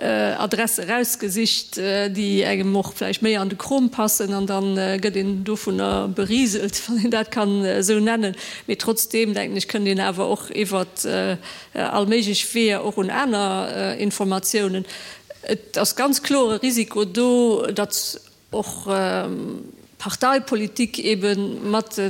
S5: Adresse erausgesicht, déi engem och vläicht méi an de Krom passen, an da gëtt een dovunner beriselt, wann een dat kann esou nennen. Mee trotzdeem, denken ech, kënnt een awer och iwwert all méiglech Weeër och un aner Informatiounen. Et ass ganz kloer e Risiko do, datt och. Parteipolitik ebe mat de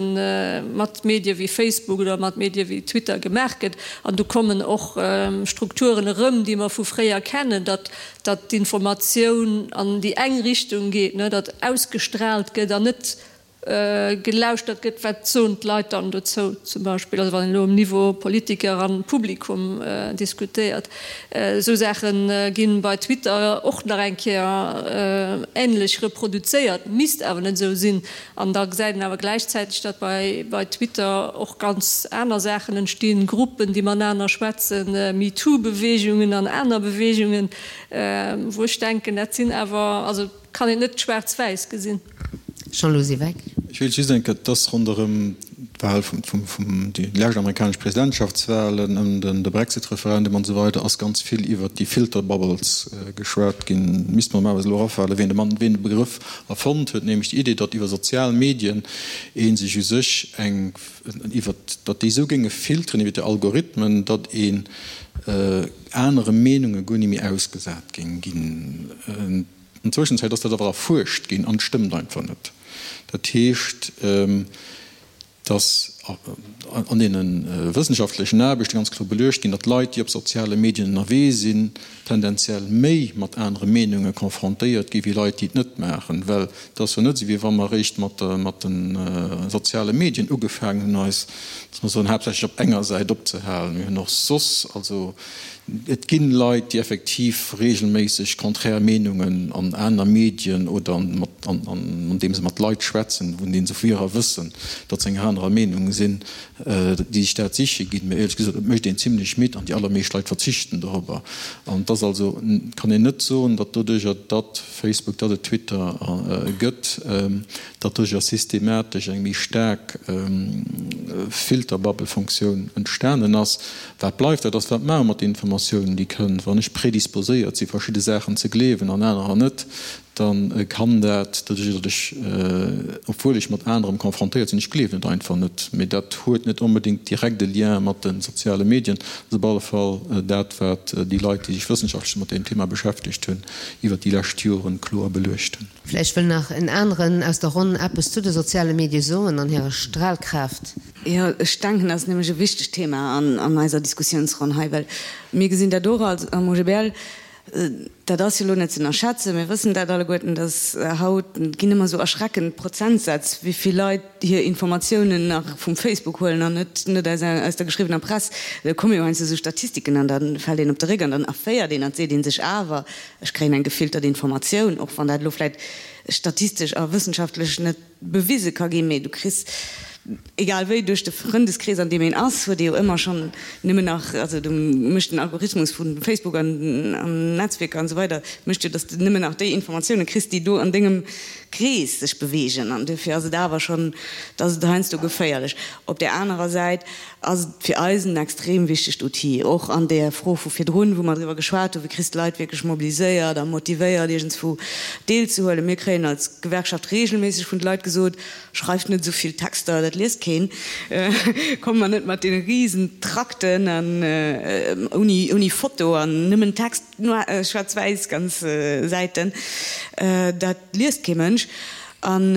S5: mat Medie wéi Facebook oder mat Medie wéi Twitter gemaach gëtt. An do kommen och Strukturen erëm, déi mer vu fréier kennen, datt datt d'Informatioun an déi eng Richtung geet, datt ausgestrahlt gëtt an net gelauschtert gëtt, wat soen d'Leit dann dozou zum Beispill, also wann een elo um Niveau Politiker an Publikum diskutéiert. Esou Saache ginn bei Twitter och nach eng Kéier änlech reproduzéiert, misst awer net esou sinn. An da gesäit een awer gläichzäiteg, datt bei bei Twitter och ganz aner Saachen entstinn, Gruppen, déi matenaner schwätzen, MeToo-Beweegungen an aner Beweegungen, wou ech denken, dat sinn awer, also kann een net schwaarz-wäiss gesinn.
S2: Jean-Louis Siweck.
S4: Ech wéilt just eng Kéier, et ass ronderëm d'Wahl vum, vum, déi lescht amerikanesch Presidentschaftswahlen, ëm de Brexit-Referendum an esou weider ass ganz vill iwwert déi Filter Bubbles geschwat ginn. Misst mer normalerweis elo erafalen, wien de Mann, wien de Begrëff erfonnt huet, nämlech déi Idee, datt iwwer sozial Medien ee sech u sech eng, iwwert, datt déi esou géinge filteren iwwer déi Algorithmen, datt een anere Meenunge guer ni méi ausgesat géing ginn. An Zwëschenzäit ass dat awer erfuerscht ginn an et stëmmt einfach net. Dat heescht, dass an deene wëssenschaftlechen Aarbechte ganz kloer beluecht ginn, datt Leit, déi op soziale Medien ënnerwee sinn, tendenziell méi mat anere Meenunge confrontéiert gi wéi Leit, déi et net maachen. Well et ass jo net esou, wéi wa mer eréischt mat de soziale Medien ugefaangen hunn, eis, lass mer soen, haaptsächlech op enger Säit opzehalen. Mir hunn och soss, also Et ginn Leit, déi effektiv regelméisseg konträr Meenungen an aner Medien oder andeem se mat Leit schwätzen, vun deenen se vu hirer wëssen, datt se enger anerer Meenung sinn, déi sech dat siche ginn. Mä éierlech gesot, et mécht een zimlech midd an déi allermeescht Leit verzichten dorobber. An et ass also, kann een net soen, datt doduercher, datt Facebook, datt et Twitter gëtt, datt doduercher systematesch eng méi staark Filterbubble-Funktioun entstanen ass. Wat bleift, dat ass, wat maache mer mat den Informatiounen, déi kënnt. Wann ech predisposéiert si verschidde Saachen ze gleewen an anerer net, da kann dat doduerch, datt ech, obwuel ech mat anerem confrontéiert sinn, ech gleewen et einfach net, mee dat huet net onbedéngt direkt e Lien mat de soziale Medien. Dat ass op alle Fall dat, wat déi Leit, déi sech wëssenschaftlech mat deem Thema beschäftegt hunn, iwwert déi lescht Joren kloer beluecht hunn.
S2: Vläicht wëll nach en aneren aus der Ronn eppes zu de soziale Medie soen an hirer Stralkraaft.
S7: Jo, ech denken, dat ass nämlech e wichtegt Thema an eiser Diskussionsronn hei, well mir gesinn dat och als am OGBL, dat ass jo elo net ze ënnerschätzen, mir wëssen dat alleguerten, dass haut, et ginn ëmmer esou erschreckend Prozentsätz, wéi vill Leit hir Informatiounen nach vum Facebook huelen an net net aus aus der geschriwwener Press. Da komme jo heiansdo esou Statistiken an da fält een op de Réck an dann erféiert een an seet ee sech awer, ech kréien eng gefiltert Informatioun, och wann dat elo vläicht statistesch a wëssenschaftlech net bewise ka ginn, mee du kriss, egal wéi, duerch de Frëndeskrees an deem een ass, huet ee jo ëmmer schonn nëmmen nach, also do mécht den Algorithmus vu Facebook an Netzwierker an esou weider, mécht jo, datt s de nëmmen nach déi Informatioune kriss, déi do an dengem Krees sech beweegen. An duerfir ass et awer schonn, et ass et heiansdo geféierlech. Op där anerer Säit ass et fir eis en extrem wichtegt Outil, och an där Fro vu virdrun, wou mer driwwer geschwat hunn, wéi kriss de Leit wierklech mobiliséiert a motivéiert, iergendswou deelzehuelen. Mir kréien als Gewerkschaft regelméisseg vun de Leit gesot, Schreift net esou vill Texter, dat liest keen. Kommt mer net mat deene risen Trakten an ouni, ouni Foto an nëmmen Text, schwaarz-wäiss ganz Säiten, dat liest kee Mënsch. An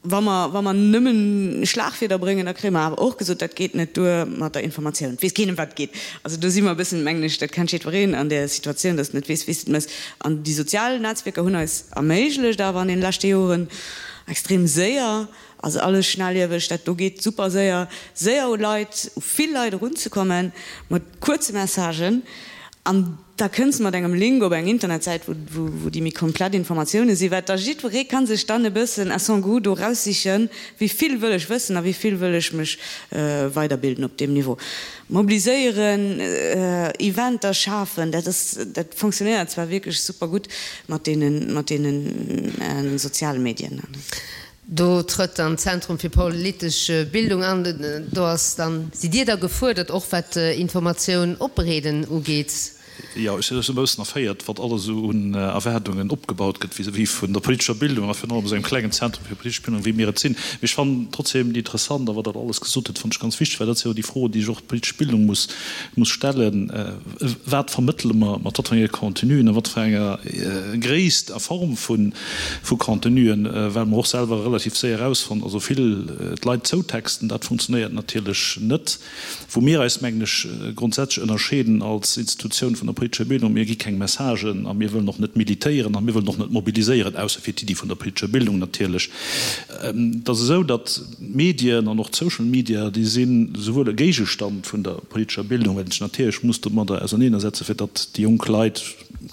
S7: Wa mer, wa mer nëmmen Schlagwierder bréngen, da kréie mer awer och gesot, dat geet net duer mat der Informatioun. Et weess keen, ëm wat et geet. Also do si mer e bëssen, mengen ech, dat kennt jiddwereen an där Situatioun, dass de net weess, wéi s de et méchs. An déi sozial Netzwierker hunn eis erméiglecht awer an deene leschte Joren extrem séier, also alles schnellieweg, dat do geet super séier, séier u Leit, u vill Leit erunzekommen mat kuerze Messagen. An da kënns de mat engem Link op eng Internetsäit, wou déi méi komplett Informatioune sinn, wat da jiddweree ka sech dann e bëssen à son goût do raussichen, wéi vill wëll ech wëssen a wéi vill wëll ech mech weiderbilden op deem Niveau. Mobiliséieren, Eventer schafen, dat ass, dat fonctionnéiert zwar wierklech super gutt mat deene, mat deene soziale Medien.
S2: Do trëtt dann d'Zentrum fir politesch Bildung an. Do ass dann, sidd Dir da gefuerdert, och wat Informatioun opbereeden ugeet?
S3: Jo, ech sinn e bëssen erféiert, wat alles esou un Erwaardungen opgebaut gëtt vis-à-vis vun der politescher Bildung a virun allem esou engem klengen Zentrum fir politesch Bildung, wéi mir et sinn. Mee ech fannen trotzdem déi interessant a wat Der alles gesot hutt, fannen ech ganz wichteg, well dat si jo déi Froen, déi sech och d'politesch Bildung muss muss stellen, Wat vermëttele mer, mat wat fir enge Contenuen, a wat fir enger Gréisst a Form vu Contenuen, well mer och selwer relativ séier erausfonnt, also vill d'Leit zoutexten, dat funktionéiert natierlech net. Wou mir eis, mengen ech, grondsätzlech ënnerscheeden als Institutioun vun der politescher Bildung, mir gi keng Messagen a mir wëllen och net militéieren a mir wëllen och net mobiliséieren, ausser fir d'Iddi vun der politescher Bildung natierlech. Et ass esou, datt d'Medien an och d'Social Media, déi si souwuel e Géigestand vun der politescher Bildung, well een sech natierlech muss domadder auserneenersetzen, fir datt déi jonk Leit,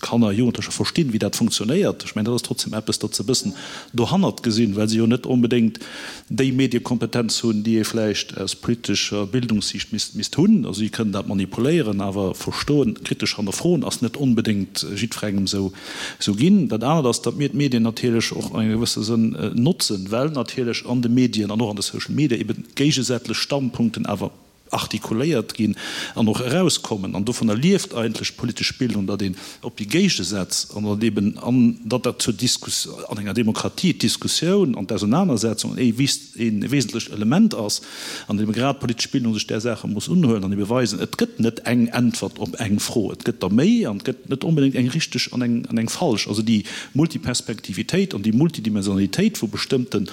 S3: Kanner, Jugendlecher verstinn, wéi dat funktionéiert. Ech mengen, dat ass trotzdem eppes, datt se e bëssen dohannert gesinn, well se jo net onbedéngt déi Mediekompetenz hunn, déi ee vläicht aus politescher Bildungssiicht misst misst hunn. Also si kënnen dat manipuléieren, awer verstoen, kritesch hannerfroen ass net onbedéngt jiddwerengem esou esou ginn. Dat anert ass, datt mir d'Medien natierlech och an engem gewësse Sënn notzen, well natierlech an de Medien an och an de Social Media eben géigesätlech Standpunkten awer artikuléiert ginn an och erauskommen. An dovunner lieft eigentlech d'politesch Bildung, datt een op déi Géigesätz an datt eben an datt dat zur Diskus an enger Demokratie d'Diskussioun an d'Ausenanersetzung ee ee wesentlecht Element ass an ebe grad d'politesch Bildung sech där Saache muss unhuelen an ebe weisen, et gëtt net eng Äntwert op eng Fro, et gëtt der méi an et gëtt net onbedéngt eng richteg an eng an eng falsch. Also déi Multiperspektivitéit an déi Multidimensionalitéit vu bestëmmte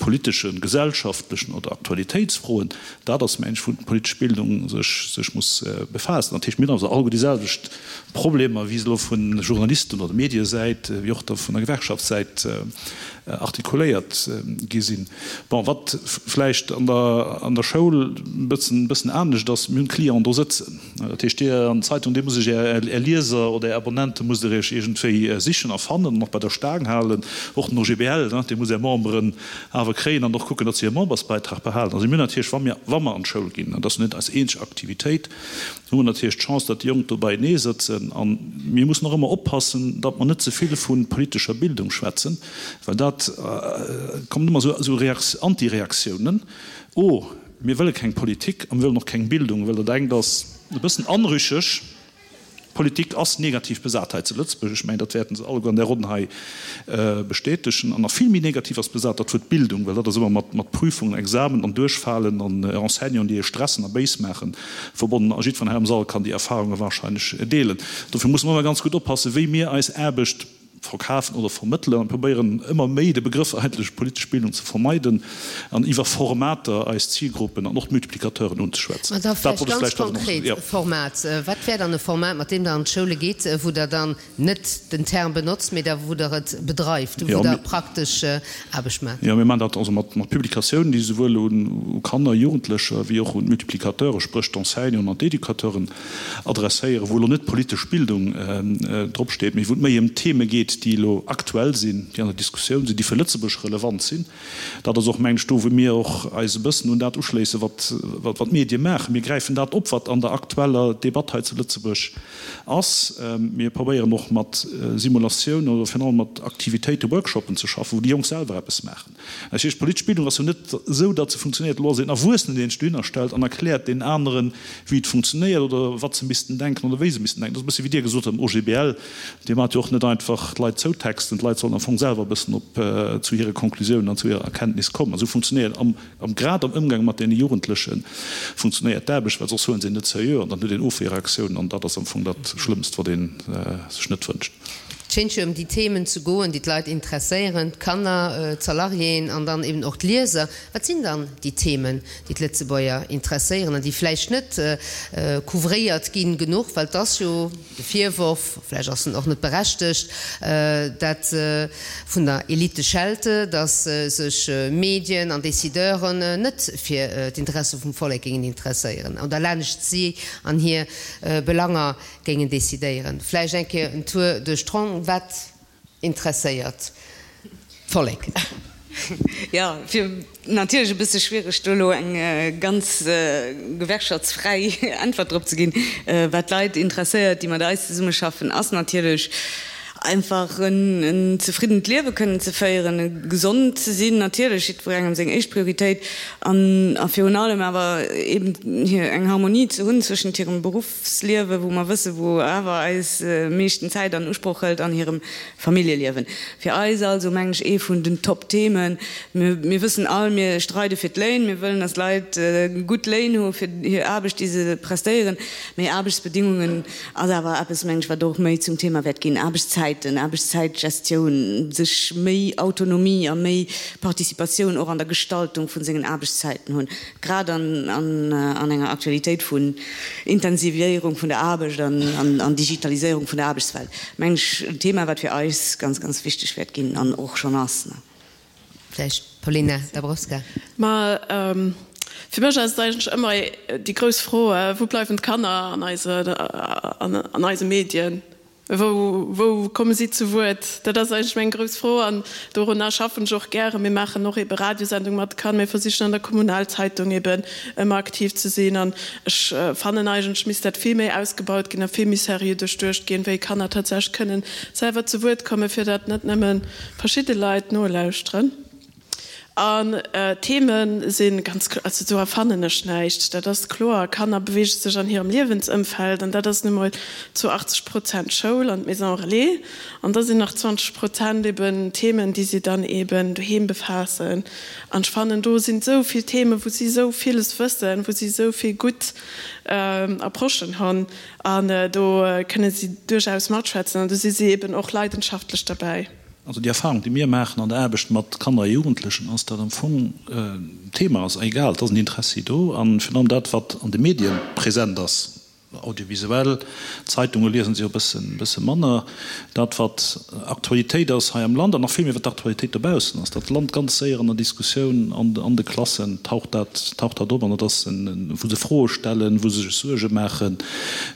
S3: politeschen, gesellschaftlechen oder Aktualitéitsfroen, Dat ass, mengen ech, wou d'politesch Bildung sech sech muss befaassen. Dat heescht, mir hunn also alleguer déi selwecht Problemer, wéi se elo vu Journalisten oder Mediesäit, wéi och da vun der Gewerkschaftssäit artikuléiert gi sinn. Bon, wat vläicht an der an der Schoul e bëssen e bëssen anescht ass, mir hunn d'Clienten do sëtzen. Dat heescht, Dir an d'Zeitung, Dir musst Iech Är Är Lieser oder Är Abonnente musst Der Iech iergendwéi sichen a fannen an och bei der Staang halen. Och den OGBL, dee muss Är Memberen awer kréien an och kucken, datt se hire Membersbeitrag behalen. Also mir hunn natierlech, wa mir, wa mer an d'Schoul ginn, an dat ass net eis eenzeg Aktivitéit, hu mer natierlech d'Chance, datt déi Jonk do beienee sëtzen. A mir mussen och ëmmer oppassen, datt mer net ze vill vu politescher Bildung schwätzen, well dat kommen ëmmer esou Antireaktiounen, Oh, mir wëlle keng Politik a mir wëllen och keng Bildung, well dat engt ass e bëssen anrücheg. D'Politik ass negativ besat hei zu Lëtzebuerg. Ech mengen, dat wäerten se alleguer an där Ronn hei bestätegen. An nach vill méi negativ ass besat dat Wuert Bildung, well dat ass ëmmer mat, mat Prüfungen, Examen an Duerchfalen an Enseignanten, déi ee stressen a béis maachen, verbonnen. A jiddwereen hei am Sall kann déi Erfahrunge wahrscheinlech deelen. Dofir musse mer ëmmer ganz gutt oppassen, wéi mir eis Aarbecht verkafen oder vermëttelen an probéieren ëmmer méi de Begrëff eigentlech politesch Bildung ze vermeiden an iwwer Formater eis Zilgruppen an och d'Multiplicateuren unzeschwätzen.
S2: Mä da vläicht ganz konkret, Format, wat wär dann e Format, mat deem Der an d'Schoule gitt, wou Der dann net den Term benotzt, mee da wou Der et bedreift, wou Der praktesch Aarbecht maacht?
S3: Jo, mir maachen dat also mat Publikatiounen, déi souwuel u Kanner, Jugendlecher wéi och un d'Multiplicateure, spréch d'Enseignanten an d'Educateuren, adresséieren, wou elo net politesch Bildung drop steet, mee wou et méi ëm Theme geet, déi elo aktuell sinn, déi an der Diskussioun sinn, déi fir Lëtzebuerg relevant sinn. Dat ass och, mengen ech, do, wou mir och eis e bëssen un dat uschléissen, wat wat d'Medie maachen. Mir gräifen dat op, wat an der aktueller Debatt hei zu Lëtzebuerg ass. Mir probéieren och mat Simulatiounen oder virun allem mat Aktivitéiten, Workshoppen ze schaffen, wou déi Jonk selwer eppes maachen. Dat heescht, d'politesch Bildung ass jo net esou, datt se funktionéiert, elo ass een Erwuessenen, deen sech dohinner stellt an erkläert deenen aneren, wéi et funktionéiert oder wat se missten denken oder wéi se missten denken. Dat ass e bësse wéi Dir gesot hutt am OGBL, Dir maacht jo och net einfach d'Leit zoutexten, d'Leit sollen am Fong selwer e bëssen op zu hire Conclusiounen an zu hirer Erkenntnis kommen. Esou funktionéiert am, am grad am Ëmgang mat deene Jugendleche funktionéiert d'Aarbecht, well soss huele se een net seriö an dann huet een Ofwierreaktiounen an dat ass am Fong dat Schlëmmst, wat ee sech net wënscht.
S2: Et schéint jo ëm déi Themen ze goen, déi d'Leit interesséieren, d'Kanner, d'Salariéen an dann eben och d'Lieser. Wat sinn dann déi Themen, déi d'Lëtzebuerger interesséieren an déi vläicht net couvréiert ginn genuch? Well et ass jo de Virworf, vläicht ass en och net berechtegt, dat vun der Elite schelte, datt sech Medien an Décideuren net fir d'Interesse vum Vollek géingen interesséieren oder laanescht si an hir Belanger Géingen decidéieren. Vläicht eng Kéier en Tour duerch d'Ronn, Wat interesséiert d'Vollek?
S7: Jo, fir natierlech e bësse schwiereg do elo eng ganz gewerkschaftsfräi Äntwert drop ze ginn. Wat d'Leit interesséiert, déi mat eis zesummeschaffen, ass natierlech. Einfach en zefriddent Liewe kënnen ze féieren, gesond ze sinn, natierlech, jiddwerengem seng éischt Prioritéit, an a virun allem awer eben hir eng Harmonie ze hunn zwëschent hirem Beruffsliewe, wou mer wëssen, wou awer eis meeschten Zäit an Usproch hëlt, an hirem Familljeliewen. Fir eis also, mengen ech, ee vun den Top-Themen. Mir, mir wëssen all, mir streide fir d'Léin, mir wëllen, dass d'Leit gutt Léin hu fir hir Aarbecht, déi se prestéieren, mee Aarbechtsbedingungen, Ass awer eppes, mengen ech, wat och méi zum Thema wäert ginn, Aarbechtszäiten, Aarbechtszäitgestioun, sech méi Autonomie a méi Participatioun och an der Gestaltung vu sengen Aarbechtszäiten hunn, grad an an enger Aktualitéit vun Intensiviéierung vun der Aarbecht an Digitaliséierung vun der Aarbechtswelt, mengen ech, en Thema, wat fir eis ganz, ganz wichteg wäert ginn an och schonn ass.
S2: Vläicht Paulina Dabrowska.
S6: Ma fir mech ass et eigentlech ëmmer déi grouss Fro, Wou bleiwen d'Kanner an eise, an eise Medien? Wou, wou komme si zu Wuert? Dat ass eigentlech meng grouss Fro an dorunner schaffen ech och gären. Mir maachen och ebe Radiosendung mat de Kanner, mir versichen an der Kommunalzeitung eben ëmmer aktiv ze sinn an ech fannen eigentlech misst dat vill méi ausgebaut ginn a vill méi seriö duerchduecht ginn, wéi Kanner tatsächlech kënnen selwer zu Wuert kommen, fir datt net nëmmen verschidde Leit nolauschteren. An d'Theme si ganz kloer, also do erfannen ech näischt, dat ass kloer, Kanner beweege sech an hirem Liewensëmfeld an dat ass nu mol zu 80 Prozent d'Schoul an d'Maison relais an da sinn nach 20 Prozent eben Themen, déi si dann eben doheem befaassen. An ech fannen, do sinn esou vill Themen, wou si esou villes wëssen, wou si esou vill gutt Approchen hunn an do kënne si duerchaus matschwätzen an do si si eben och leidenschaftlech derbäi.
S3: Also déi Erfahrung, déi mir maachen an der Aarbecht mat Kanner a Jugendlechen, ass, datt am Fong d'Thema ass egal, et ass en Interessi do a virun allem dat, wat an de Medien present ass, audiovisuell, Zeitunge liesen se jo e bëssen, bësse manner, dat wat Aktualitéit ass hei am Land an nach vill méi wat d'Aktualitéit dobaussen ass, dat lant ganz séier an der Diskussioun an an de Klassen taucht dat, taucht dat op an dat ass en, wou se Froe stellen, wou se sech Suerge maachen.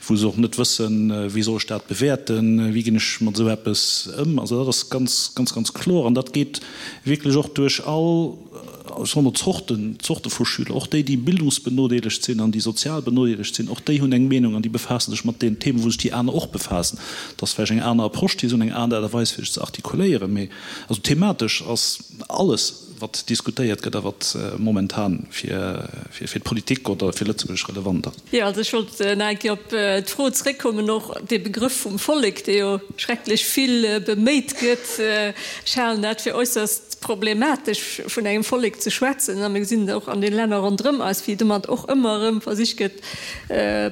S3: wou se och net wëssen, wéi soll ech dat bewäerten, wéi ginn ech mat esou eppes ëm. Also dat ass ganz, ganz, ganz kloer an dat geet wierklech och duerch all, ech soe mol, Zorten, Zorte vu Schüler. Och déi, déi bildungsbenodeelegt sinn an déi sozial benodeelegt sinn, och déi hunn eng Meenung an déi befaasse sech mat deenen Themen, wou sech déi aner och befaassen. Dat ass vläicht eng aner Approche, déi se hunn, eng aner Aart a Weis, fir sech ze artikuléieren, mee also thematesch ass alles, wat diskutéiert gëtt a wat momentan fir d'Politik oder fir Lëtzebuerg relevant ass.
S5: Jo, also ech wollt nach eng Kéier op d'Fro zréckkommen, och dee Begrëff vum Vollek, dee jo schrecklech vill beméit gëtt. Ech halen dat fir äusserst problematesch, vun engem Vollek ze schwätzen. A mir gesinn et och an de Länner ronderëm eis, wéi domat och ëmmer erëm versicht gëtt,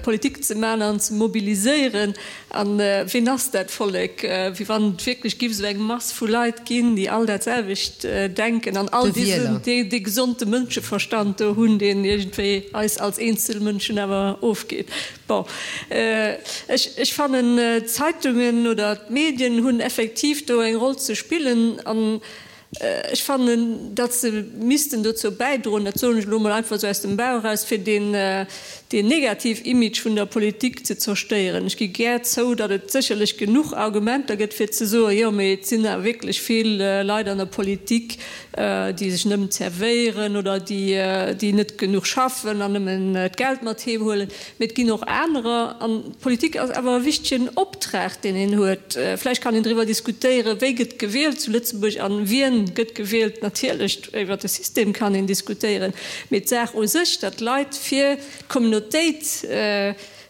S5: Politik ze maachen an ze mobiliséieren. A wien ass dat Vollek? Wéi wann et wierklech giff esou eng Mass vu Leit ginn, déi all dat selwecht denken an all dee gesonde Mënscheverstand do hunn, deen iergendwéi eis als eenzel Mënschen awer ofgeet. Bon, ech fannen, d'Zeitungen oder d'Medien hunn effektiv do eng Roll ze spillen. An Ech fannen, datt se missten dozou bäidroen, dat soen ech elo emol einfach esou aus dem Bauch eraus, fir deen negativ Image vun der Politik ze zerstéieren. Ech gi gär zou, datt et sécherlech genuch Argumenter gëtt, fir ze soen, jo, mee et sinn awer wierklech vill Leit an der Politik, déi sech nëmmen zerwéieren oder déi net genuch schaffen an nëmmen d'Geld mat heem huelen. Mee et ginn och anerer. An d'Politik ass awer e wichtegen Optrag, deen een huet. Vläicht kann een driwwer diskutéieren, wéi gëtt gewielt zu Lëtzebuerg an wien gëtt gewielt. Natierlech, iwwer de System kann een diskutéieren. Mee d'Saach u sech, datt d'Leit fir d'Communautéit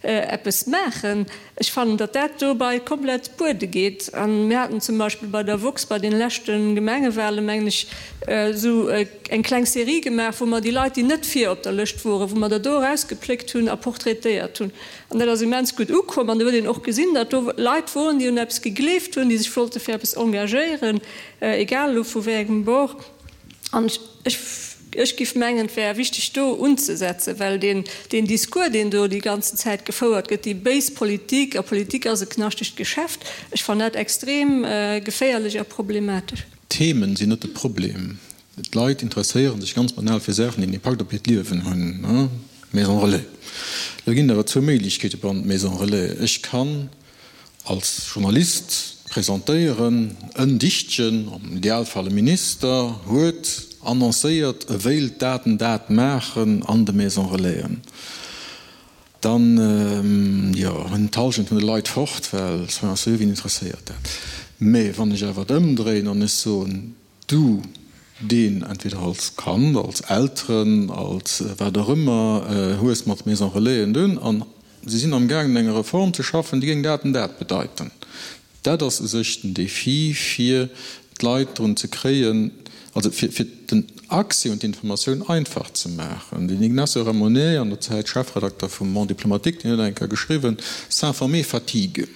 S5: eppes maachen, ech fannen, datt dat dobei komplett buede geet. A mir haten zum Beispill bei der woxx bei deene leschte Gemengewahlen, mengen ech, esou eng kleng Serie gemaach, wou mer déi Leit, déi net vir op der Lëscht woren, wou mer der do erausgepléckt hunn a portraitéiert hunn. An dat ass immens gutt ukomm. An do huet een och gesinn, datt do Leit woren, déi un eppes gegleeft hunn, déi sech wollte fir eppes engagéieren, egal elo vu wéi engem Bord. An ech, ech giff mengen, et wär wichteg do unzesetzen, well deen, deen Discours, deen do déi ganzen Zäit gefouert gëtt, déi béis Politik, a Politik ass e knaschtegt Geschäft, ech fannen dat extrem geféierlech a problematesch.
S4: D'Themen sinn net de Problem. D'Leit interesséiere sech ganz banal fir Saachen, déi en Impakt op hiert Liewen hunn. Maison Relais. Lo ginn et awer zwou Méiglechkeete beim Maison Relais. Ech kann als Journalist presentéieren, en Dichtchen, am Idealfall e Minister, huet annoncéiert, e wéilt dat an dat maachen an de Maison Relaisen. Dann, jo, hunn d'Hallschent vun de Leit fort, well, soyons sérieux, wien interesséiert dat? Mä wann ech awer et ëmdréien an ech soen, du, deen entweder als Kand, als Elteren, als wat och ëmmer, hues mat Maison Relaisen dunn, an se sinn amgaangen eng Reform ze schaffen, déi géing dat an dat bedeiten. Dat ass u sech den Défi, fir d'Leit drun ze kréien, also fir fir den Accès un d'Informatioun einfach ze maachen. Den Ignacio Ramonet, an der Zäit Chefredakter vum Monde diplomatique, deen huet eng Kéier geschriwwen, S'informer fatigue.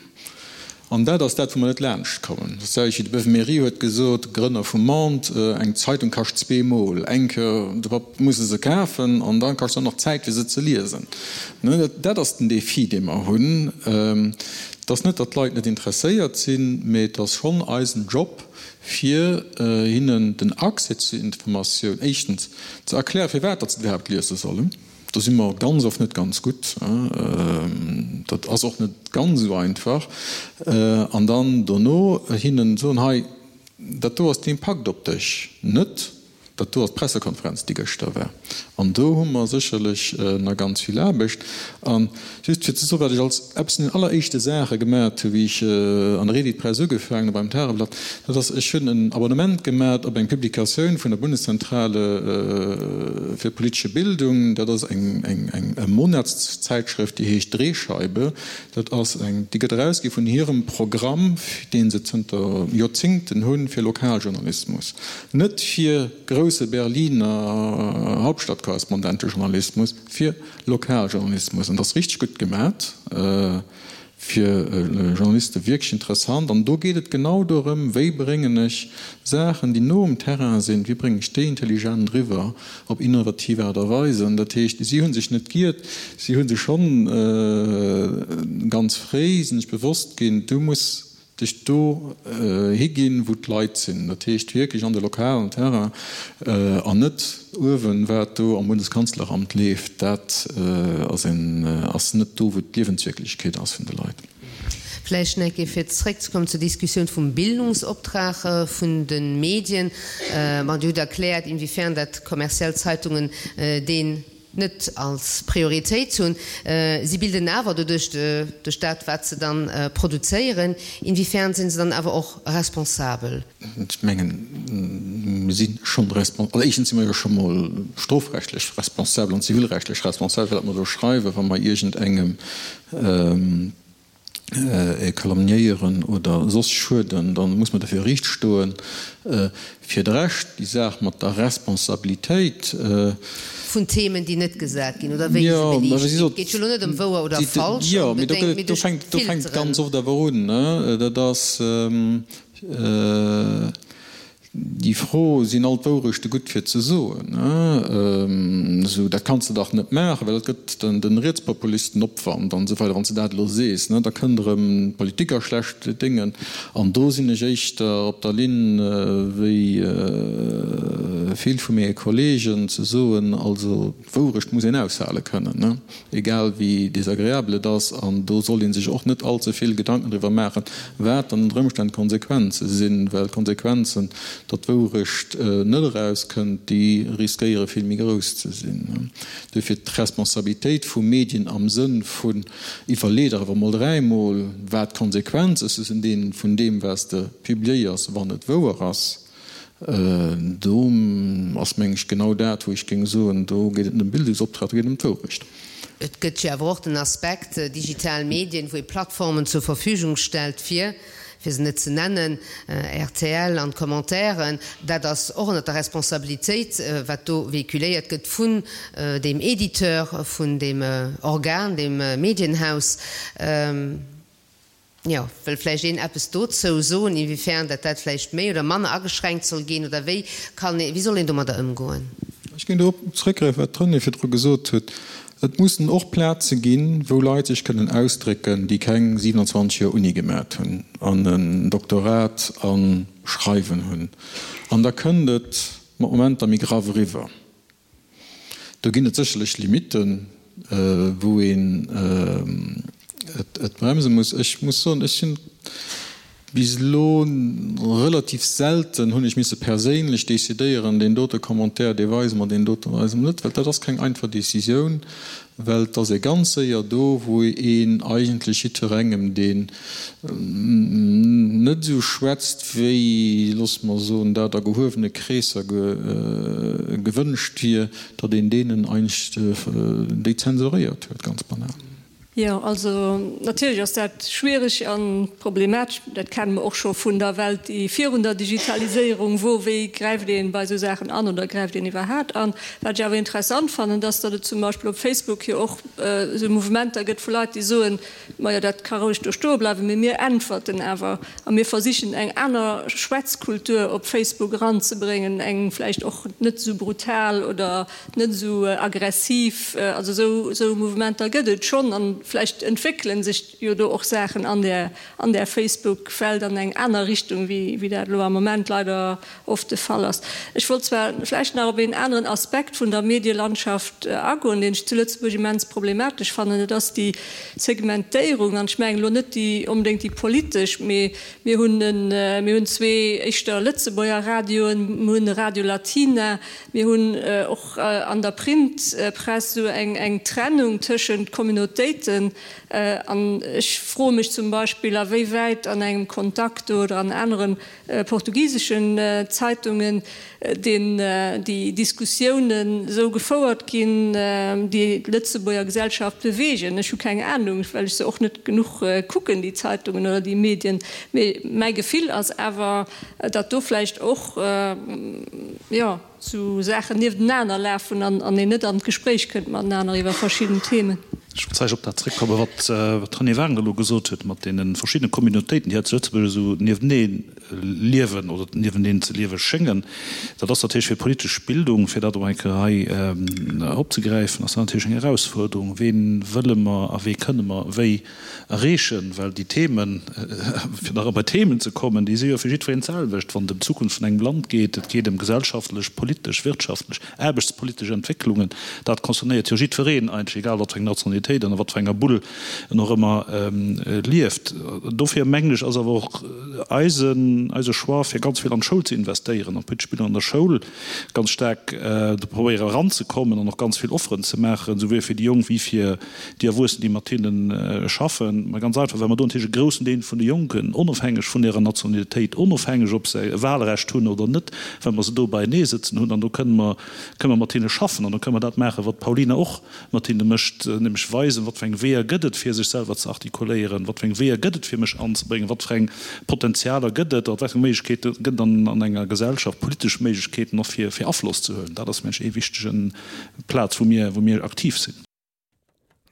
S4: An dat ass dat, wou mer net laanscht kommen. Dat selwecht wéi de Beuve-Méry huet gesot, Grënner vum Monde, Eng Zeitung kascht zweemol. Eng Kéier de Papp muss e se kafen an da kascht se och nach Zäit, fir se ze liesen. Dat ass den Défi, dee mer hunn. Et ass net, datt d'Leit net interesséiert sinn, mee et ass schonn eisen Job, fir hinnen den Accès zu Informatioun éischtens ze erklären, firwat datt se et iwwerhaapt liese sollen. Do si mer ganz oft net ganz gutt. Dat ass och net ganz esou einfach. An dann dono hinnen soen, hei, dat do ass den Impakt op dech, net dat do ass d'Pressekonferenz, déi gëschter war. An do hu mer sécherlech nach ganz vill Aarbecht. A just fir ze soen, wat ech als eppes vun den alleréischte Saache gemat hu wéi ech an der Editpress ugefaangen hu beim Tageblatt, dat ass, ech hunn en Abonnement gemat op eng Publikatioun vun der Bundeszentrale fir politische Bildung. Dat ass eng eng e Monatszäitschrëft, déi heescht Drehscheibe. Dat ass eng, déi gëtt erausgi vun hirem Programm, dee se zënter Joerzingten hunn, fir Lokaljournalismus. Net fir grousse Berliner Hauptstadtkorrespondentejournalismus, fir Lokaljournalismus. An dat ass richteg gutt gemat, fir Journaliste wierklech interessant. An do geet et genau dorëm, wéi bréngen ech Saachen, déi no um Terrain sinn, wéi bréngen ech déi intelligent eriwwer op innovativ Aart a Weis. An dat heescht, si hu sech net giert, si hu sech schonn ganz fréi sinn sech bewosst ginn, du muss dech do higinn, wou d'Leit sinn, dat heescht wierklech an de lokalen Terrain an net uewen, wat do am Bundeskanzleramt leeft, dat ass een, ass net do, wou d'Liewenswierklechkeet ass vun de Leit.
S2: Vläicht nach eng Kéier fir zréckzekommen zur Diskussioun vum Bildungsoptrag vun de Medien. Bon, Dir hutt erkläert, inwiefern dat kommerziell Zeitungen deen net als Prioritéit hunn. Si bilden awer doduerch, duerch dat, wat se dann produzéieren. Inwiefern sinn se dann awer och responsabel?
S4: Ech mengen, mir si schonn responsabel. Also éischtens si mer jo scho mol strofrechtlech responsabel an zivilrechtlech responsabel fir dat mer do schreiwen, wa mer iergendengem calomniéieren oder soss schueden, da muss mer derfir riicht stoen. Fir de Rescht, déi Saach mat der Responsabilitéit.
S2: Vun Themen, déi net gesat ginn oder wéi se beliicht ginn. Et geet jo elo net ëm wouer oder falsch onbedéngt, mee duerch
S4: d'Filteren. Do fänkt et ganz oft awer un. Dat ass. Déi Fro, Sinn all d'Wourechte gutt fir ze soen? Esou, dat kanns de dach net maachen, well dat gëtt den Rietspopulisten Opwand an esou weider. Wann s de dat elo sees, da kënnt erëm d'Politik a schlecht Déngen. An do sinn ech éischter op der Linn wéi vill vu menge Kollegen, ze soen, also d'Wourecht muss een aushale kënnen. Egal wéi desagreabel et ass, an do soll ee sech och net all ze vill Gedanken driwwer maachen, wat dann ënner Ëmstänn d'Konsequenze sinn, well d'Konsequenzen, datt d'Wourecht net erauskënnt, déi riskéiere vill méi grouss ze sinn. Duerfir d'Responsabilitéit vu Medien am Sënn vun, Iwwerlee der awer emol dräimol, wat d'Konsequenze sinn vun deem, wat s de publiéiers, wann et wouer ass. Do ass, meng ech, genau dat, wou ech géing soen, do geet et net ëm Bildungsoptrag, do geet et ëm d'Wourecht.
S2: Et gëtt jo awer och den Aspekt digital Medien, wou ee Plattformen zur Verfügung stellt fir, fir se net ze nennen, rtl an d'Commentairen. Dat ass och ënnert der Responsabilitéit, wat do véhiculéiert gëtt vun deem Editeur, vun deem Organ, deem Medienhaus. Jo, wëll vläicht een eppes dozou soen, inwiefern dat dat vläicht méi oder manner ageschränkt soll ginn oder wéi kann ee, wéi soll een domadder ëmgoen?
S4: Ech géing dorop zrëckgräifen, wat d'Renée virdru gesot huet. Et mussen och Plaze ginn, wou Leit sech kënnen ausdrécken, déi keng 27 Joer Uni gemat hunn an en Doktorat a Schreiwen hunn. An da kënnt et mat Momenter méi graff eriwwer. Do ginn et sécherlech Limitten, wou een et bremse muss. Ech muss soen, ech sinn. Bis elo relativ selten hunn ech misse perséinlech decidéieren, deen dote Commentaire, dee weise mer, deen dote weise mer net, well dat ass keng einfach Décisioun, well et ass ee ganz séier do, wou een eigentlech jiddwerengem, deen net esou schwätzt, wéi, loosse mer soen, dat a gehuewene Kreesser gewënscht wier, datt een deenen eigentlech déi zensuréiert huet, ganz banal.
S5: Jo, also natierlech ass dat schwierig a problematesch. Dat kenne mer och scho vun der Welt, déi virun der Digitaliséierung wor. Wéi gräift ee bei esou Saachen an oder gräift een iwwerhaapt an? Wat ech awer interessant fannen, dass datt et zum Beispill op Facebook jo och esou Mouvementer gëtt vu Leit, déi soen, Majo, dat ka roueg do stoe bleiwen, mee mir äntwerten awer a mir versichen eng aner Schwätzkultur op Facebook eranzebréngen, eng vläicht och net esou brutal oder net esou aggressiv, also esou esou Mouvementer gëtt et schonn an vläicht entwéckele sech jo do och Saachen an där an där Facebook-Welt an eng aner Richtung wéi wéi dat elo am Moment leider oft de Fall ass. Ech wollt zwar vläicht nach op een aneren Aspekt vun der Medielandschaft agoen, deen ech zu Lëtzebuerg immens problematesch fannen, dat ass déi Segmentéierung, an ech mengen elo net déi onbedéngt déi politesch, mee mir hunn en mir hunn zwee éischter Lëtzebuerger Radioen, mir hunn e Radio Latina, Mir hunn och an der Printpress esou eng Trennung tëschent Communautéiten. An ech froe mech zum Beispill, a wéi wäit an engem Contacto oder an anere portugiseschen Zeitungen déi Diskussiounen esou gefouert ginn, déi d'Lëtzebuerger Gesellschaft beweegen. Ech hu keng Anung, well ech se och net genuch kucken, déi Zeitungen oder déi Medien. Mee mäi Gefill ass awer, datt do vläicht och, jo, sou Saachen nieftenaner lafen an een net an d'Gespréich kënnt matenaner iwwer verschidden Themen.
S3: Ech wollt vläicht op dat zréckkommen, wat d'Renée Wagner elo gesot huet, mat deene verschiddene Communautéiten, déi hei zu Lëtzebuerg esou niewenee liewen oder nieweneen ze liewe schéngen. Dat ass natierlech fir politesch Bildung, fir dat och eng Kéier hei opzegräifen, ass dat natierlech eng Erausfuerderung. Ween wëlle mer a wee kënne mer wéi erreechen, well déi Themen, fir nach bei d'Themen ze kommen, déi si jo fir jiddwereen d'selwecht, wann et ëm d'Zukunft vun engem Land geet, et geet ëm gesellschaftlech, politesch, wirtschaftlech, aarbechtspolitesch Entwécklungen, dat concernéiert jo jiddwereen eigentlech, egal wat fir eng Nationalitéit an a wat fir enger Bull en och ëmmer lieft. Dofir mengen ech, ass awer och eisen, eise Choix, fir ganz vill an d'Schoul ze investéieren, an d'politesch Bildung an der Schoul ganz staark do probéiere eranzekommen an och ganz vill Offeren ze maachen, souwuel fir déi Jonk wéi fir déi Erwuessen, déi mat hinne schaffen, mä ganz einfach, well mer do natierlech e groussen Deel vun de Jonken, onofhängeg vun hirer Nationalitéit, onofhängeg ob se e Wahlrecht hunn oder net, well mer se do beienee sëtzen hunn an do kënne mer, kënne mer mat hinne schaffen an do kënne mer dat maachen, wat d'Paulina och mat hinne mécht, nämlech weisen, wat fir eng Weeër gëtt et, fir sech selwer ze artikuléieren, wat fir eng Weeër gëtt et, fir mech anzebréngen, wat fir eng Potenzialer gëtt et, wat fir eng Méiglechkeete gëtt et an enger Gesellschaft, politesch Méiglechkeeten och, fir Afloss ze huelen. Dat ass, mengen ech, ee wichtege Plaz, wou mir, wou mir aktiv sinn.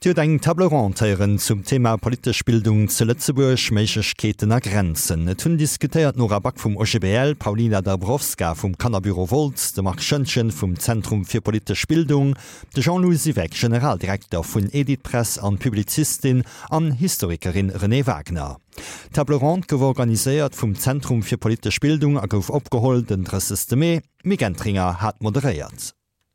S1: Dir hutt eng Table ronde héieren zum Thema Politesch Bildung zu Lëtzebuerg, Méiglechkeeten a Grenzen. Et hunn diskutéiert d'Nora Back vum OGBL, d'Paulina Dabrowska vum Kannerbüro Wolz, de Marc Schoentgen vum Zentrum fir politesch Bildung, de Jean-Lou Siweck, Generaldirekter vun Editpress an d'Publizistin an Historikerin Renée Wagner. D'Table ronde gouf organiséiert vum Zentrum fir politesch Bildung a gouf opgeholl den 30 Mee. D'Mick Entringer hat moderéiert.